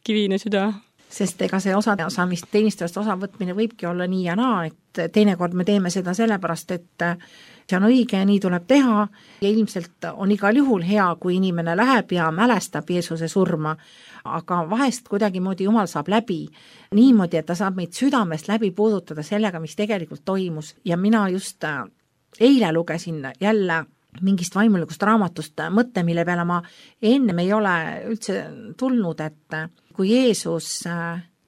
kivine süda. Sest ega see osasaamist teenistujast osavõtmine võibki olla nii ja naa, et teinekord me teeme seda sellepärast, et see on õige ja nii tuleb teha ja ilmselt on igal juhul hea, kui inimene läheb ja mälestab Jeesuse surma, aga vahest kuidagi moodi Jumal saab läbi niimoodi, et ta saab meid südamest läbi puudutada sellega, mis tegelikult toimus ja mina just eile lugesin jälle mingist vaimulikust raamatust mõtte, mille peale ma ennem ei ole üldse tulnud, et kui Jeesus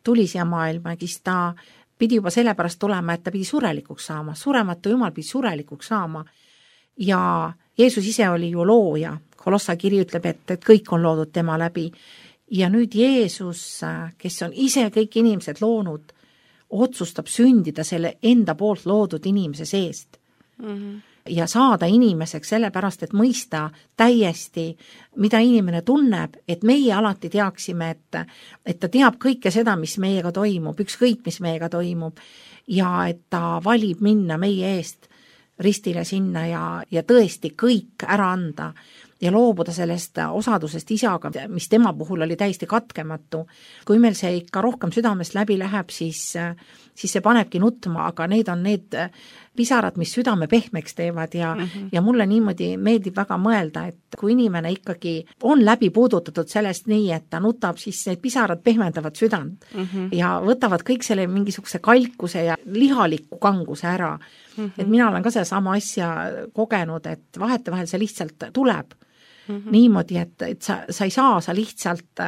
tuli siia maailma, siis ta pidi juba sellepärast tulema, et ta pidi surelikuks saama, surematu Jumal pidi surelikuks saama ja Jeesus ise oli ju looja, Kolossa kiri ütleb, et, et kõik on loodud tema läbi ja nüüd Jeesus, kes on ise kõik inimesed loonud, otsustab sündida selle enda poolt loodud inimese seest. Mm-hmm. Ja saada inimeseks sellepärast, et mõista täiesti, mida inimene tunneb, et meie alati teaksime, et, et ta teab kõike seda, mis meiega toimub, ükskõik, mis meiega toimub ja et ta valib minna meie eest ristile sinna ja, ja tõesti kõik ära anda. ja loobuda sellest osadusest isaga, mis tema puhul oli täiesti katkematu. Kui meil see ikka rohkem südamest läbi läheb, siis, siis see panebki nutma, aga need on need pisarad, mis südame pehmeks teevad ja, mm -hmm. ja mulle niimoodi meeldib väga mõelda, et kui inimene ikkagi on läbi puudutatud sellest nii, et ta nutab, siis need pisarad pehmendavad südant mm -hmm. ja võtavad kõik selle mingisuguse kalkuse ja lihaliku kanguse ära. Mm -hmm. et mina olen ka seda sama asja kogenud, et vahetevahel see lihtsalt tuleb mm -hmm. niimoodi, et, et sa, sa ei saa, sa lihtsalt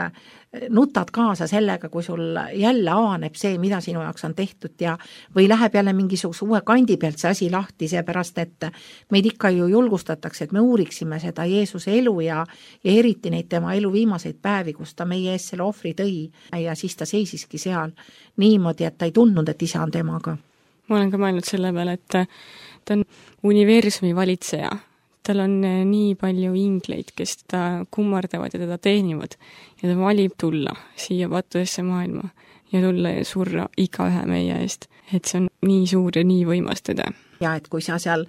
nutad kaasa sellega, kui sul jälle avaneb see, mida sinu jaoks on tehtud ja või läheb jälle mingisuguse uue kandi pealt see asi lahti, seepärast et meid ikka ju julgustatakse, et me uuriksime seda Jeesuse elu ja, ja eriti neid tema elu viimaseid päevi, kus ta meie ees selle ohvri tõi ja siis ta seisiski seal niimoodi, et ta ei tundnud, et isa on temaga. Ma olen ka mõelnud selle peale, et ta on universumi valitseja. Tal on nii palju ingleid, kes teda kummardavad ja teda teenivad ja ta valib tulla siia patudesse maailma ja tulla ja surra iga ühe meie eest. Et see on nii suur ja nii võimas tõde. Ja et kui sa seal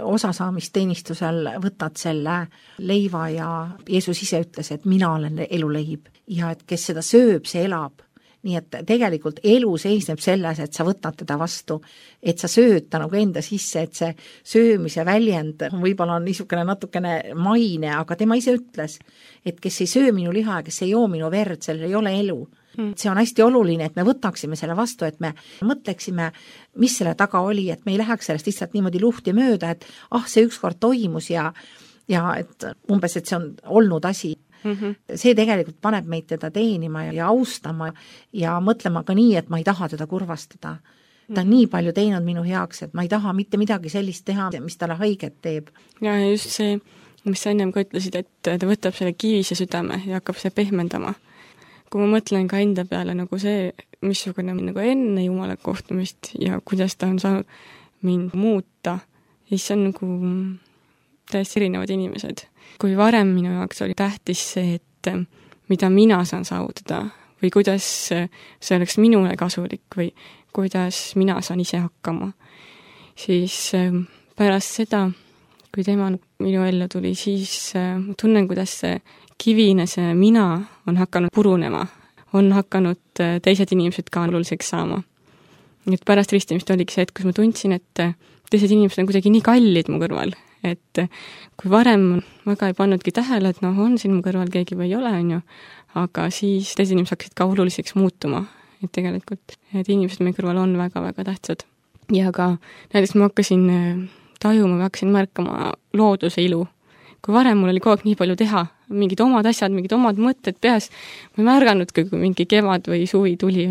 osasaamisteenistusel võtad selle leiva ja Jeesus ise ütles, et mina olen eluleib ja et kes seda sööb, see elab. Nii et tegelikult elu seisneb selles, et sa võtad teda vastu, et sa sööd ta nagu enda sisse, et see söömise väljend võib-olla on niisugune natukene maine, aga tema ise ütles, et kes ei söö minu liha ja kes ei joo minu verd, sellel ei ole elu. Mm. See on hästi oluline, et me võtaksime selle vastu, et me mõtleksime, mis selle taga oli, et me ei läheks sellest lihtsalt niimoodi luhti mööda, et ah, see ükskord toimus ja, ja et umbes, et see on olnud asi. Mm-hmm. See tegelikult paneb meid teda teenima ja austama ja mõtlema ka nii, et ma ei taha teda kurvastada. Ta on nii palju teinud minu heaks, et ma ei taha mitte midagi sellist teha, mis talle haiget teeb. Ja just see, mis sa ennem ka ütlesid, et ta võtab selle kivise südame ja hakkab see pehmendama. Kui ma mõtlen ka enda peale nagu see, missugune nagu enne Jumala kohtumist ja kuidas ta on saanud mind muuta, siis see on nagu täiesti erinevad inimesed. Kui varem minu jaoks oli tähtis see, et mida mina saan saavutada või kuidas see oleks minule kasulik või kuidas mina saan ise hakkama, siis pärast seda, kui tema minu ellu tuli, siis tunnen, kuidas see kivine, see mina on hakanud purunema, on hakanud teised inimesed ka oluliseks saama. Et pärast ristimist oligi see, et kus ma tundsin, et teised inimesed on kuidagi nii kallid mu kõrval, et kui varem väga ei pannudki tähele, et noh, on siin mu kõrval keegi või ei ole, on ju, aga siis teised inimesed hakkasid ka oluliseks muutuma, et tegelikult et inimesed meie kõrval on väga-väga tähtsad. Ja ka näiteks ma hakkasin tajuma, ma hakkasin märkama looduse ilu. Kui varem mul oli kogu aeg nii palju teha, mingid omad asjad, mingid omad mõtted peas, ma ei märganudki, kui mingi kevad või suvi tuli,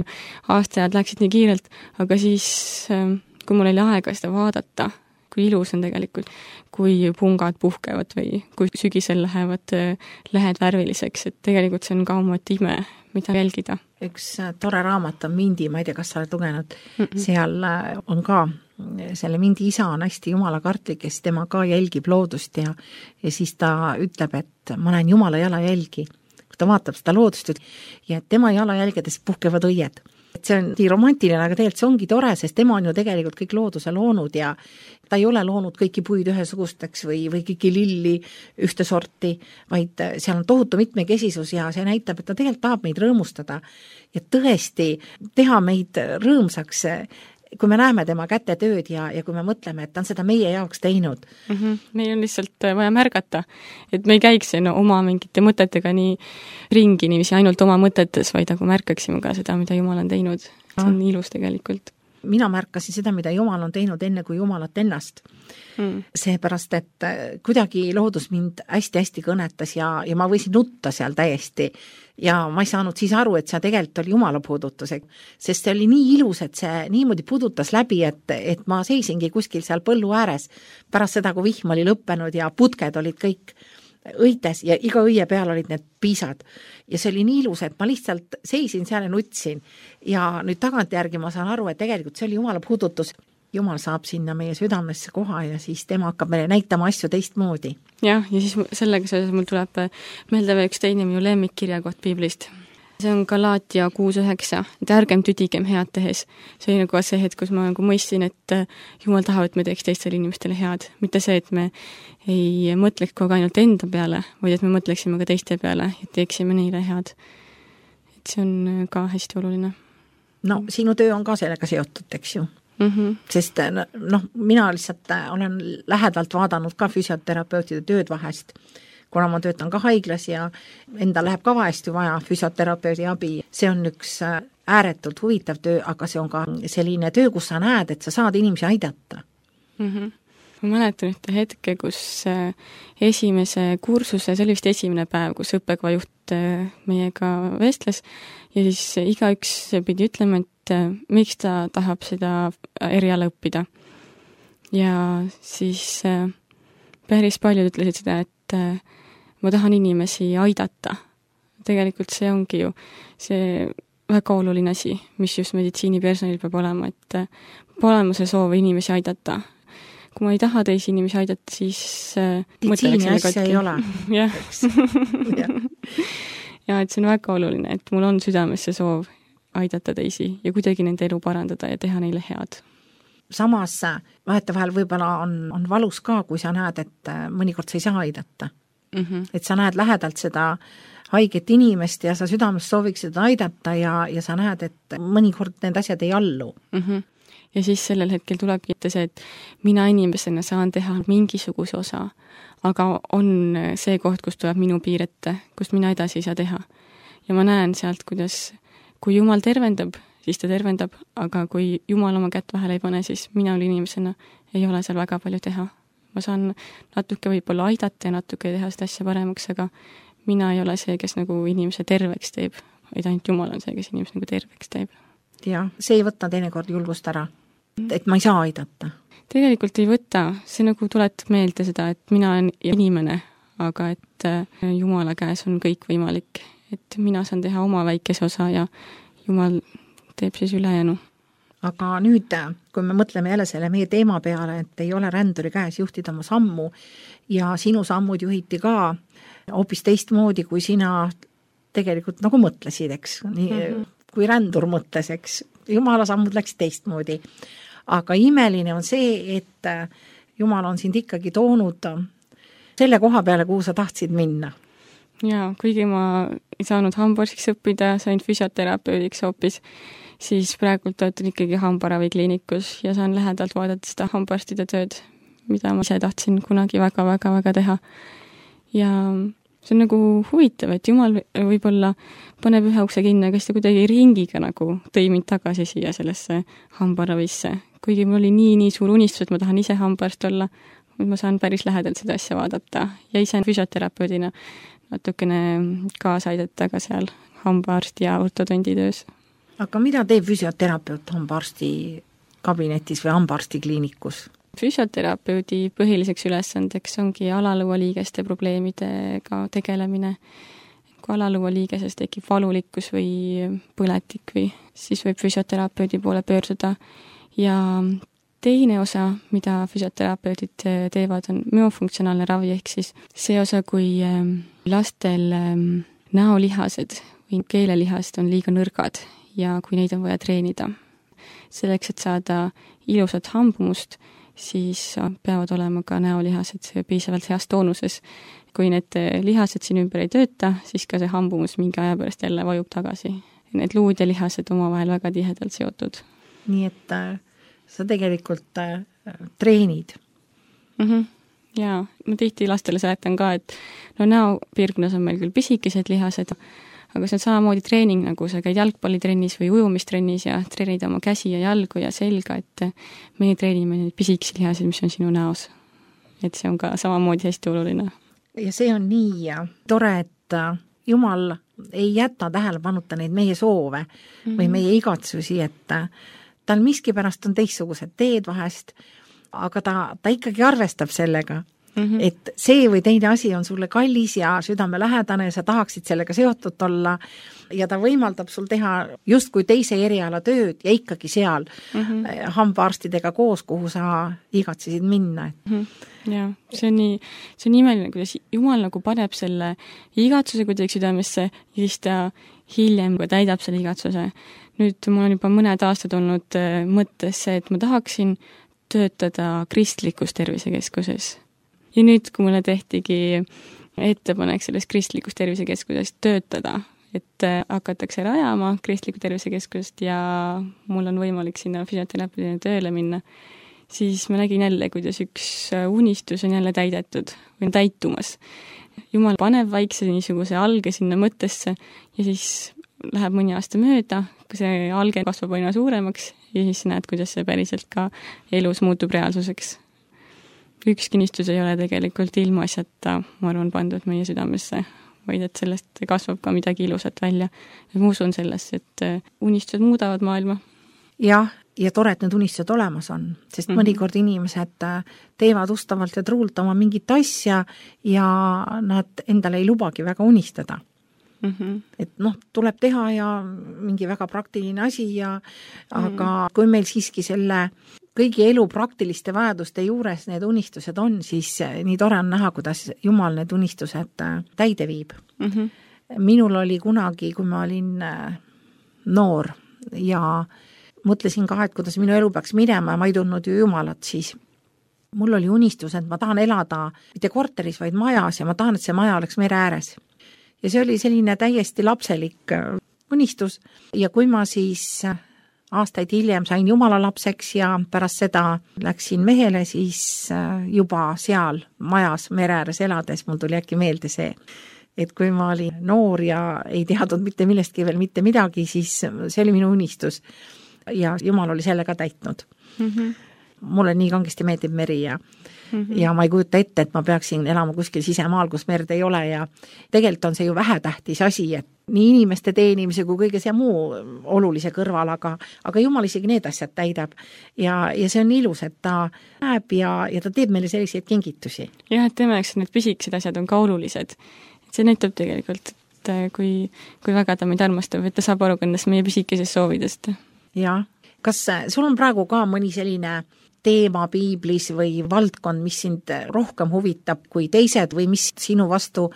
aastajad läksid nii kiirelt, aga siis, kui mul oli aega seda vaadata, kui ilus on tegelikult, kui pungad puhkevad või kui sügisel lähevad lehed värviliseks, et tegelikult see on ka oma ime, mida jälgida. Üks tore raamat on Mindi, ma ei tea, kas sa oled lugenud, mm-mm. Seal on ka, selle Mindi isa on hästi jumalakartlik, kes tema ka jälgib loodust ja, ja siis ta ütleb, et ma näen jumala jalajälgi, kui ta vaatab seda loodust ja tema jalajälgedes puhkevad õied. Et see on nii romantiline, aga tegelikult see ongi tore, sest tema on ju tegelikult kõik looduse loonud ja ta ei ole loonud kõiki puid ühesugusteks või, või kõiki lilli ühte sorti, vaid seal on tohutu mitmekesisus ja see näitab, et ta tegelikult tahab meid rõõmustada ja tõesti teha meid rõõmsaks, kui me näeme tema kätetööd ja, ja kui me mõtleme, et ta on seda meie jaoks teinud. Mm-hmm. Meil on lihtsalt vaja märgata, et me ei käiks no, oma mingite mõtetega nii ringi, niiviisi ainult oma mõtetes, vaid aga märkaksime ka seda, mida Jumal on teinud. See on ah. ilus tegelikult. Mina märkasin seda, mida Jumal on teinud enne kui Jumalat ennast. Mm. Seepärast, et kuidagi loodus mind hästi-hästi kõnetas ja, ja ma võisin nutta seal täiesti ja ma ei saanud siis aru, et see tegelikult oli Jumala puudutus, sest see oli nii ilus, et see niimoodi puudutas läbi, et, et ma seisingi kuskil seal põllu ääres pärast seda, kui vihm oli lõppenud ja putked olid kõik õites ja iga õie peal olid need piisad. Ja see oli nii ilus, et ma lihtsalt seisin seal ja nutsin. Ja nüüd tagantjärgi ma saan aru, et tegelikult see oli Jumala puudutus. Jumal saab sinna meie südamesse koha ja siis tema hakkab meile näitama asju teistmoodi. Jah, ja siis sellega seoses mul tuleb meelde veel üks teine minu lemmikkirjakoht Piiblist. see on Galatia kuus üheksa, et ärgem tüdigem head tehes. See oli nagu see hetk, kus ma nagu mõistsin, et Jumal tahab, et me teeks teistele inimestele head. Mitte see, et me ei mõtleks kogu ainult enda peale, vaid et me mõtleksime ka teiste peale ja teeksime neile head. Et see on ka hästi oluline. No sinu töö on ka sellega seotud, eks ju. Mm-hmm. Sest noh, mina lihtsalt olen lähedalt vaadanud ka füsioterapeutide tööd vahest, kuna ma töötan ka haiglas ja enda läheb ka vahest ju vaja füsioterapeudi abi. See on üks ääretult huvitav töö, aga see on ka selline töö, kus sa näed, et sa saad inimesi aidata. Mm-hmm. Ma mäletan ühte hetke, kus esimese kursuse, see oli vist esimene päev, kus õppekava juht meiega vestles ja siis iga üks pidi ütlema, et miks ta tahab seda eriala õppida. Ja siis päris paljud ütlesid seda, et ma tahan inimesi aidata. Tegelikult see ongi ju see väga oluline asi, mis just meditsiinipersonil peab olema, et peab olema see soov inimesi aidata. Kui ma ei taha teisi inimesi aidata, siis meditsiini asja ei ole. Jah. Ja et see on väga oluline, et mul on südames see soov aidata teisi ja kuidagi nende elu parandada ja teha neile head. Samas vahetevahel võib-olla on, on valus ka, kui sa näed, et mõnikord sa ei saa aidata. Mm-hmm. Et sa näed lähedalt seda haiget inimest ja sa südames sooviks seda aidata ja, ja sa näed, et mõnikord need asjad ei allu. Mm-hmm. Ja siis sellel hetkel tulebki ette see, et mina inimesena saan teha mingisuguse osa, aga on see koht, kus tuleb minu piir ette, kust mina edasi ei saa teha. Ja ma näen sealt, kuidas kui Jumal tervendab, siis ta tervendab, aga kui Jumal oma kätt vahele ei pane, siis mina inimesena ei ole seal väga palju teha. Ma saan natuke võib-olla aidata ja natuke teha seda asja paremaks, aga mina ei ole see, kes nagu inimese terveks teeb, vaid ainult Jumal on see, kes inimese nagu terveks teeb. Ja, see ei võta teinekord julgust ära, et ma ei saa aidata. Tegelikult ei võta, see nagu tuletab meelde seda, et mina olen inimene, aga et Jumala käes on kõik võimalik. Et mina saan teha oma väikese osa ja Jumal teeb siis ülejäänu. Aga nüüd, kui me mõtleme jälle selle meie teema peale, et ei ole ränduri käes juhtida oma sammu ja sinu sammud juhiti ka hoopis teistmoodi, kui sina tegelikult nagu mõtlesid, eks, nii, mm-hmm. kui rändur mõtles, eks, Jumala sammud läks teistmoodi. Aga imeline on see, et Jumal on sind ikkagi toonud selle koha peale, kuhu sa tahtsid minna. Jaa, kuigi ma ei saanud hambarstiks õppida, sain füsioterapeudiks hoopis, siis praegult töötan ikkagi hambaravikliinikus ja saan lähedalt vaadata seda hambarstide tööd, mida ma ise tahtsin kunagi väga-väga-väga teha. Ja see on nagu huvitav, et Jumal võib-olla paneb ühe ukse kinni, aga siis ta kuidagi ringiga nagu tõi mind tagasi siia sellesse hambaravisse. Kuigi mul oli nii, nii suur unistus, et ma tahan ise hambarst olla, ma saan päris lähedalt seda asja vaadata ja ise füsioterapeudina natukene kaasa aidata ka seal hambaarsti ja ortodondi töös. Aga mida teeb füsioterapeut hambaarsti kabinetis või hambaarsti kliinikus? Füsioterapeudi põhiliseks ülesandeks ongi alalõualiigeste probleemidega tegelemine. Kui alalõualiigeses tekib valulikkus või põletik või siis võib füsioterapeudi poole pöörduda. Ja teine osa, mida füsioterapeudid teevad, on müofunktsionaalne ravi, ehk siis see osa, kui lastel näolihased või keelelihased on liiga nõrgad ja kui neid on vaja treenida. Selleks, et saada ilusat hambumust, siis peavad olema ka näolihased piisavalt heas toonuses. Kui need lihased siin ümber ei tööta, siis ka see hambumus mingi aja pärast jälle vajub tagasi. Need luud ja lihased omavahel väga tihedalt seotud. Nii et äh, sa tegelikult äh, treenid. Mhm. Jaa, ma tihti lastele seletan ka, et no näopiirkonnas on meil küll pisikesed lihased, aga see on samamoodi treening, nagu sa käid jalgpallitrennis või ujumistrennis ja treenid oma käsi ja jalgu ja selga, et meie treenime neid pisikesi lihasid, mis on sinu näos. Et see on ka samamoodi hästi oluline. Ja see on nii tore, et Jumal ei jäta tähelepanuta neid meie soove mm-hmm. või meie igatsusi, et tal miskipärast on teistsugused teed vahest, aga ta, ta ikkagi arvestab sellega Mm-hmm. Et see või teine asi on sulle kallis ja südamelähedane ja sa tahaksid sellega seotud olla ja ta võimaldab sul teha justkui teise eriala tööd ja ikkagi seal mm-hmm. hambaarstidega koos, kuhu sa igatsesid minna. Mm-hmm. Ja, see on nii, see on nii imeline, kuidas Jumal nagu paneb selle igatsuse kuidagi südamesse ja siis ta hiljem täidab selle igatsuse. Nüüd mul on juba mõned aastad olnud mõttes see, et ma tahaksin töötada kristlikus tervisekeskuses. Ja nüüd, kui mulle tehtigi ettepanek selles kristlikus tervisekeskuses töötada, et hakatakse rajama kristlikku tervisekeskust ja mul on võimalik sinna füsioteraapiline tööle minna, siis ma nägin jälle, kuidas üks unistus on jälle täidetud või täitumas. Jumal paneb vaikse niisuguse alge sinna mõttesse ja siis läheb mõni aasta mööda, kui see alge kasvab aina suuremaks ja siis näed, kuidas see päriselt ka elus muutub reaalsuseks. Üks kinnistus ei ole tegelikult ilma asjata, ma arvan, pandud meie südamesse, vaid et sellest kasvab ka midagi ilusat välja. Ja ma usun sellest, et unistused muudavad maailma. Jah, ja tore, et need unistused olemas on, sest mm-hmm. mõnikord inimesed teevad ustavalt ja truult oma mingit asja ja nad endale ei lubagi väga unistada. Mm-hmm. Et noh, tuleb teha ja mingi väga praktiline asi ja aga mm-hmm. kui meil siiski selle kõigi elu praktiliste vajaduste juures need unistused on, siis nii tore on näha, kuidas Jumal need unistused täide viib. Mm-hmm. Minul oli kunagi, kui ma olin noor ja mõtlesin ka, et kuidas minu elu peaks minema ja ma ei tundnud ju Jumalat, siis mul oli unistus, et ma tahan elada mitte korteris, vaid majas ja ma tahan, et see maja oleks mere ääres. Ja see oli selline täiesti lapselik unistus ja kui ma siis aastaid hiljem sain Jumala lapseks ja pärast seda läksin mehele, siis juba seal majas mere ääres elades mul tuli äkki meelde see, et kui ma olin noor ja ei teadnud mitte millestki veel mitte midagi, siis see oli minu unistus ja Jumal oli selle ka täitnud. Mm-hmm. Mulle nii kangesti meeldib meri ja, mm-hmm. ja ma ei kujuta ette, et ma peaksin elama kuskil sisemaal, kus merd ei ole ja tegelikult on see ju vähetähtis asi, et nii inimeste teenimise kui kõige see muu olulise kõrval, aga, aga Jumal isegi need asjad täidab ja, ja see on ilus, et ta näeb ja, ja ta teeb meile selliseid kingitusi. Jah, et tema jaoks need püsikesed asjad on ka olulised. See näitab tegelikult, et kui, kui väga ta meid armastab, et ta saab aru kannast meie püsikesest soovidest. Jah, kas sul on praegu ka mõni selline teema piiblis või valdkond, mis sind rohkem huvitab kui teised või mis sinu vastu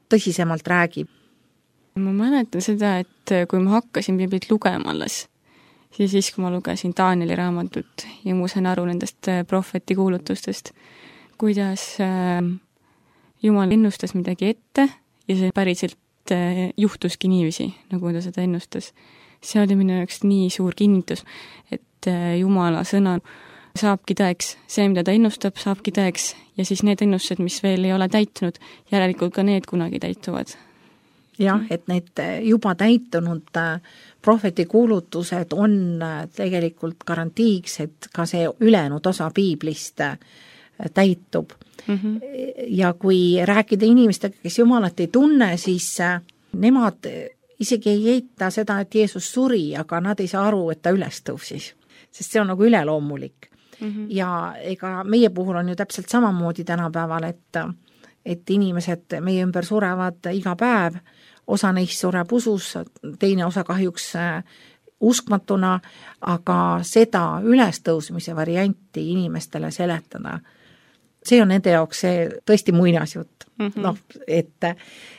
tõsisemalt räägib? Ma mäletan seda, et kui ma hakkasin piiblit lugema alles, siis siis, kui ma lugesin Danieli raamatut ja ma sain aru nendest prohveti kuulutustest, kuidas Jumal ennustas midagi ette ja see päriselt juhtuski niiviisi, nagu ta seda ennustas. See oli minu jaoks nii suur kinnitus, et Jumala sõna saabki tõeks. See, mida ta ennustab, saabki tõeks ja siis need ennustused, mis veel ei ole täitunud, järelikult ka need kunagi täituvad. Jah, et need juba täitunud prohveti kuulutused on tegelikult garantiiks, et ka see ülejäänud osa piiblist täitub. Mm-hmm. Ja kui rääkida inimestega, kes Jumalat ei tunne, siis nemad isegi ei eita seda, et Jeesus suri, aga nad ei saa aru, et ta üles tõusis, sest see on nagu üleloomulik. Mm-hmm. Ja ega meie puhul on ju täpselt samamoodi tänapäeval, et, et inimesed meie ümber surevad iga päev, osa neist sureb usus, teine osa kahjuks uskmatuna, aga seda ülestõusmise varianti inimestele seletada, see on nende jaoks see tõesti muinasjutt. Mm-hmm. No, et,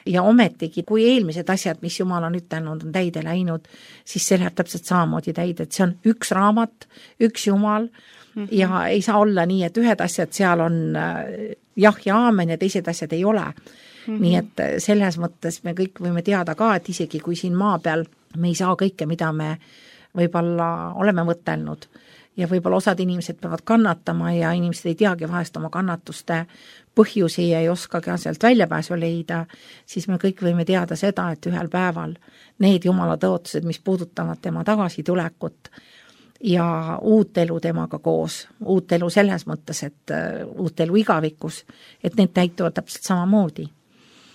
ja ometigi, kui eelmised asjad, mis Jumal on ütelnud, on täide läinud, siis see läheb täpselt samamoodi täide, et see on üks raamat, üks Jumal, mm-hmm. ja ei saa olla nii, et ühed asjad seal on jah ja aamen ja teised asjad ei ole. Mm-hmm. Nii et selles mõttes me kõik võime teada ka, et isegi kui siin maa peal me ei saa kõike, mida me võib-olla oleme mõtelnud ja võib-olla osad inimesed peavad kannatama ja inimesed ei teagi vahest oma kannatuste põhjusi ja ei oska ka sealt väljapääsu leida, siis me kõik võime teada seda, et ühel päeval need Jumala tõotused, mis puudutavad tema tagasitulekut ja uut elu temaga koos, uut elu selles mõttes, et uut elu igavikus, et need täituvad täpselt samamoodi.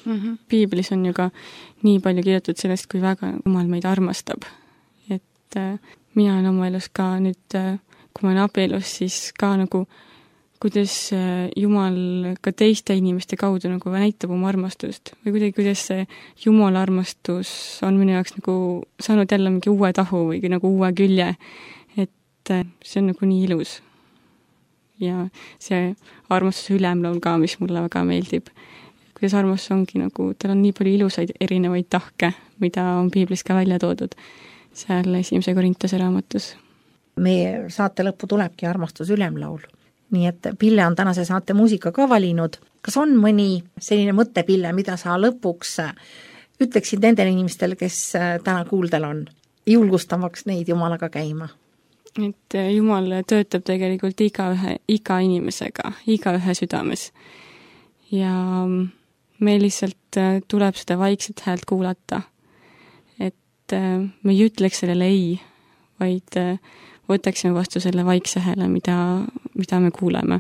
Mm-hmm. Piiblis on ju ka nii palju kirjutatud sellest, kui väga Jumal meid armastab. Et äh, mina olen oma elus ka nüüd, äh, kui ma olen abielus, siis ka nagu kuidas Jumal ka teiste inimeste kaudu nagu näitab oma armastust või kuidagi, kuidas see Jumala armastus on minu jaoks nagu saanud jälle mingi uue tahu või nagu uue külje, et see on nagu nii ilus. Ja see armastuse ülemlaul ka, mis mulle väga meeldib. Kuidas armastus ongi nagu, tal on nii palju ilusaid erinevaid tahke, mida on piiblis ka välja toodud seal esimese Korintuse raamatus. Meie saate lõppu tulebki armastus ülemlaul. Nii et Pille on tänase saate muusika ka valinud. Kas on mõni selline mõttepille, mida sa lõpuks ütleksid nendele inimestele, kes täna kuuldel on, julgustamaks neid Jumalaga käima? Et Jumal töötab tegelikult iga ühe, iga inimesega, iga ühe südames. Ja meil lihtsalt tuleb seda vaikset häält kuulata. Et me ei ütleks sellele ei, vaid võtaksime vastu selle vaikse hääle, mida, mida me kuuleme.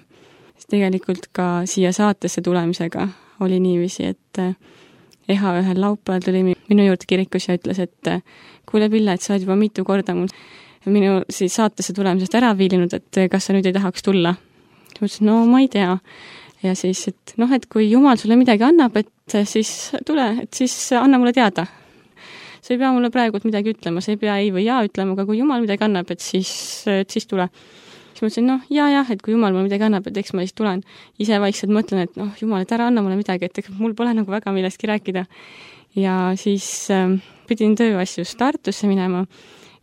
Sest tegelikult ka siia saatesse tulemisega oli niiviisi, et Eha ühel laupäeval tuli minu juurde kirikus ja ütles, et kuule Pille, et sa oled juba mitu korda mul minu siis saatesse tulemisest ära viilinud, et kas sa nüüd ei tahaks tulla. Ma ütlesin, no ma ei tea. Ja siis, et noh, et kui Jumal sulle midagi annab, et siis tule, et siis anna mulle teada. Sa ei pea mulle praegu midagi ütlema, sa ei pea ei või jaa ütlema, aga kui Jumal midagi annab, et siis, et siis tule. Siis ma ütlesin, noh, jaa, jah, et kui Jumal mulle midagi annab, et eks ma siis tulen. Ise vaikselt mõtlen, et noh, Jumal, et ära anna mulle midagi, et mul pole nagu väga millestki rääkida. Ja siis äh, pidin tööasjus Tartusse minema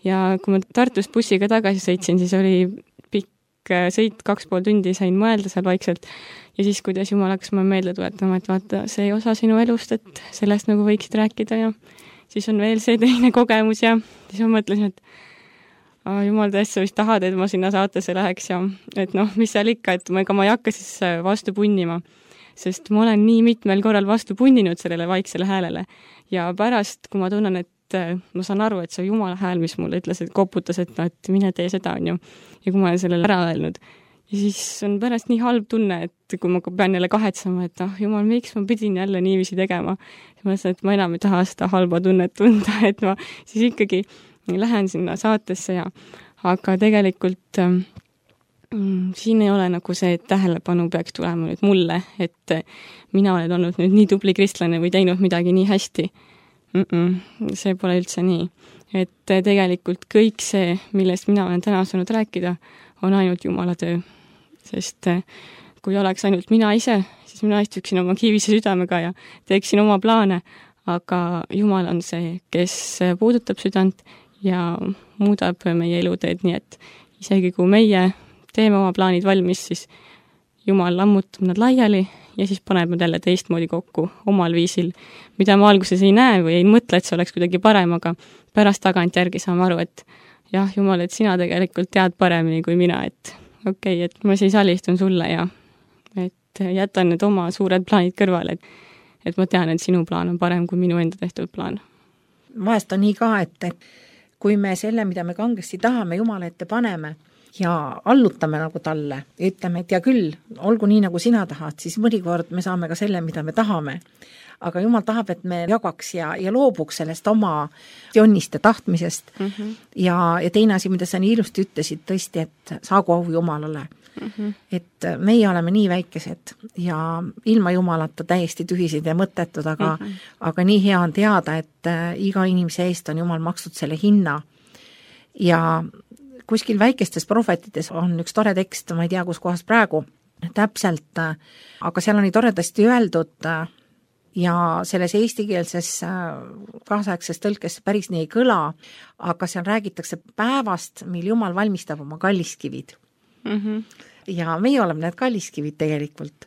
ja kui ma Tartust bussiga tagasi sõitsin, siis oli pikk sõit, kaks pool tundi sain mõelda seal vaikselt. Ja siis, kuidas Jumal hakkas ma meelde tuletama, et vaata, see osa sinu elust, et sellest nagu võiksid rääkida ja siis on veel see teine kogemus ja siis ma mõtlesin, et ah, Jumal tõesti, sa vist tahad, et ma sinna saatesse läheks ja et noh, mis seal ikka, et ma, ega ma ei hakka siis vastu punnima, sest ma olen nii mitmel korral vastu punninud sellele vaiksele häälele ja pärast, kui ma tunnen, et ma saan aru, et see Jumala hääl, mis mulle ütles, et koputas, et, no, et mine tee seda, on ju, ja kui ma olen sellele ära öelnud, ja siis on pärast nii halb tunne, et kui ma pean jälle kahetsema, et ah, Jumal, miks ma pidin jälle niiviisi tegema, siis ma ütlesin, et ma enam ei taha seda halba tunnet tunda, et ma siis ikkagi lähen sinna saatesse ja aga tegelikult mm, siin ei ole nagu see, et tähelepanu peaks tulema nüüd mulle, et mina olen olnud nüüd nii tubli kristlane või teinud midagi nii hästi. Mm-mm, see pole üldse nii. Et tegelikult kõik see, millest mina olen täna saanud rääkida, on ainult Jumala töö. Sest kui oleks ainult mina ise, siis mina istuksin oma kiivise südamega ja teeksin oma plaane, aga Jumal on see, kes puudutab südant ja muudab meie eluteed, nii et isegi kui meie teeme oma plaanid valmis, siis Jumal lammutab nad laiali ja siis paneb nad jälle teistmoodi kokku omal viisil, mida ma alguses ei näe või ei mõtle, et see oleks kuidagi parem, aga pärast tagant järgi saame aru, et jah, Jumal, et sina tegelikult tead paremini kui mina, et okei, okay, et ma siis alistun sulle ja et jätan need oma suured plaanid kõrvale, et, et ma tean, et sinu plaan on parem kui minu enda tehtud plaan. Vahest on nii ka, et kui me selle, mida me kangesti tahame, Jumala ette paneme ja allutame nagu talle ja ütleme, et ja küll, olgu nii, nagu sina tahad, siis mõnikord me saame ka selle, mida me tahame. Aga Jumal tahab, et me jagaks ja, ja loobuks sellest oma jonniste tahtmisest. Mm -hmm. ja, ja teine asi, mida sa nii ilusti ütlesid tõesti, et saagu au Jumalale. Mm -hmm. Et meie oleme nii väikesed ja ilma Jumalata täiesti tühised ja mõttetud, aga, mm -hmm. aga nii hea on teada, et iga inimese eest on Jumal makstud selle hinna. Ja kuskil väikestes prohvetides on üks tore tekst, ma ei tea, kus kohas praegu täpselt, aga seal on nii toredasti öeldud ja selles eestikeelses kaasaegses tõlkes päris nii ei kõla, aga seal räägitakse päevast, mil Jumal valmistab oma kalliskivid. Mm-hmm. Ja meie oleme need kalliskivid tegelikult,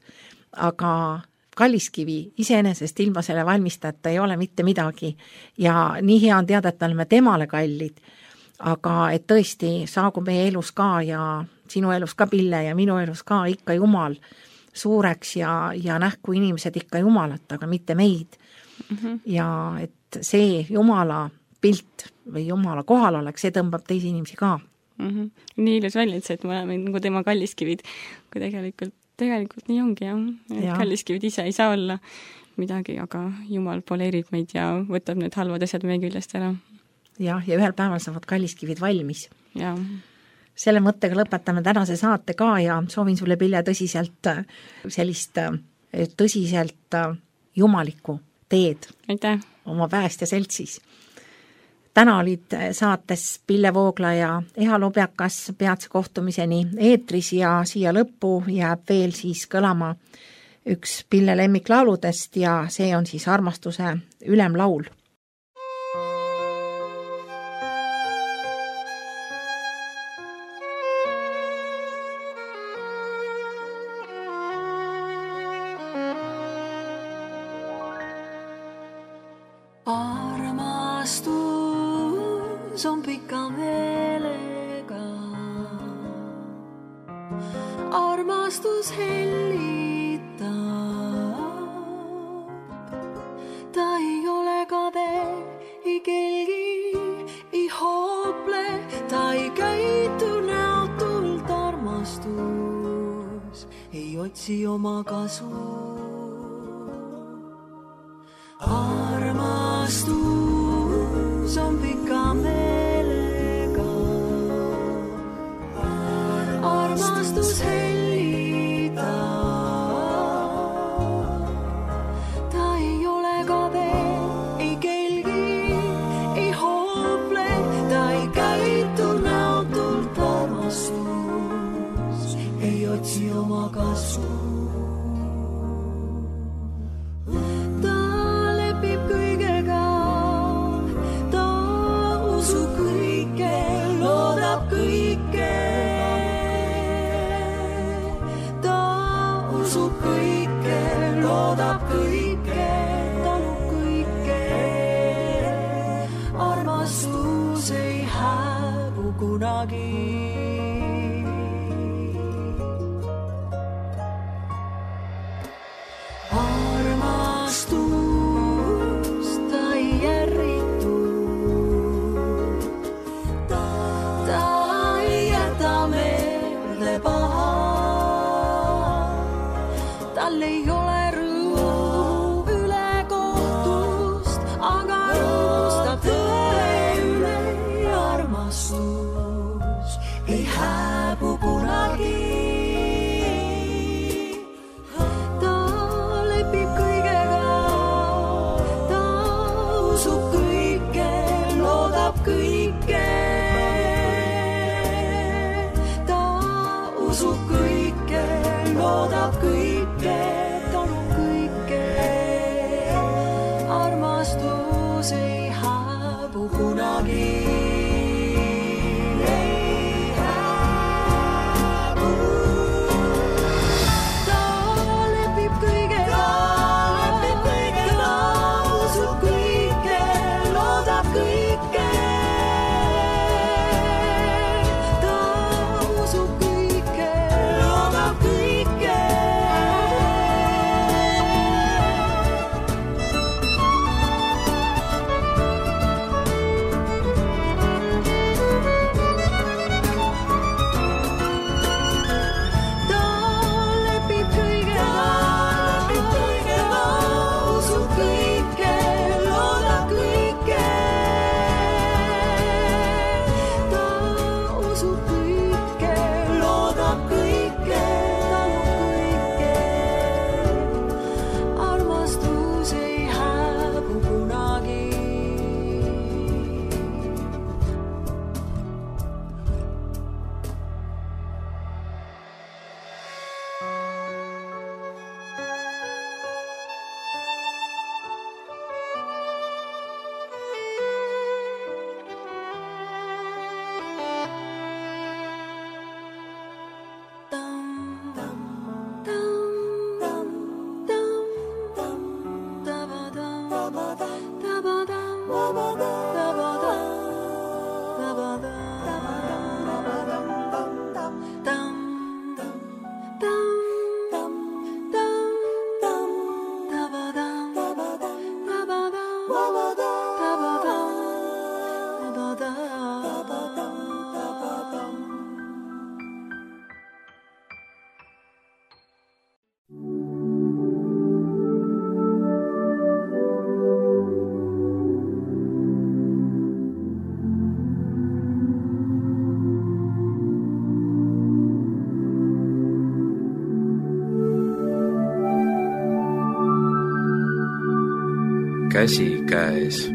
aga kalliskivi iseenesest ilma selle valmistajata ei ole mitte midagi ja nii hea on teada, et me oleme temale kallid, aga et tõesti saagu meie elus ka ja sinu elus ka Pille ja minu elus ka ikka Jumal suureks ja, ja nähku inimesed ikka Jumalat, aga mitte meid. Mm-hmm. Ja et see Jumala pilt või Jumala kohal oleks, see tõmbab teisi inimesi ka. Mm-hmm. Nii ilus välja, et see, et me oleme nagu tema kalliskivid, kui tegelikult, tegelikult nii ongi, jah. Et ja. Kalliskivid ise ei saa olla midagi, aga Jumal poleerib meid ja võtab need halvad asjad meie küljest ära. Jah, ja ühel päeval saavad kalliskivid valmis. Ja. selle mõttega lõpetame tänase saate ka ja soovin sulle, Pille, tõsiselt sellist tõsiselt jumalikku teed aitäh! Oma päästja seltsis. Täna olid saates Pille Voogla ja Eha Lobjakas, peatse kohtumiseni eetris ja siia lõppu jääb veel siis kõlama üks Pille lemmiklauludest ja see on siis armastuse ülemlaul. Armastus on pika meelega, armastus hellitab, ta ei ole kade, ei kelgi, ei hoople, ta ei käitu näotult, armastus ei otsi oma kasu. Armastus on pika meelega, armastus hellitab, ta ei ole kade, ei kelgi, ei hoople, ta ei käitu näotult, armastus ei otsi oma kasu. Armastus ei hääbu kunagi. Armastus ta ei järritu, ta ei jäta meelde paha, tal ei ole käsikäes.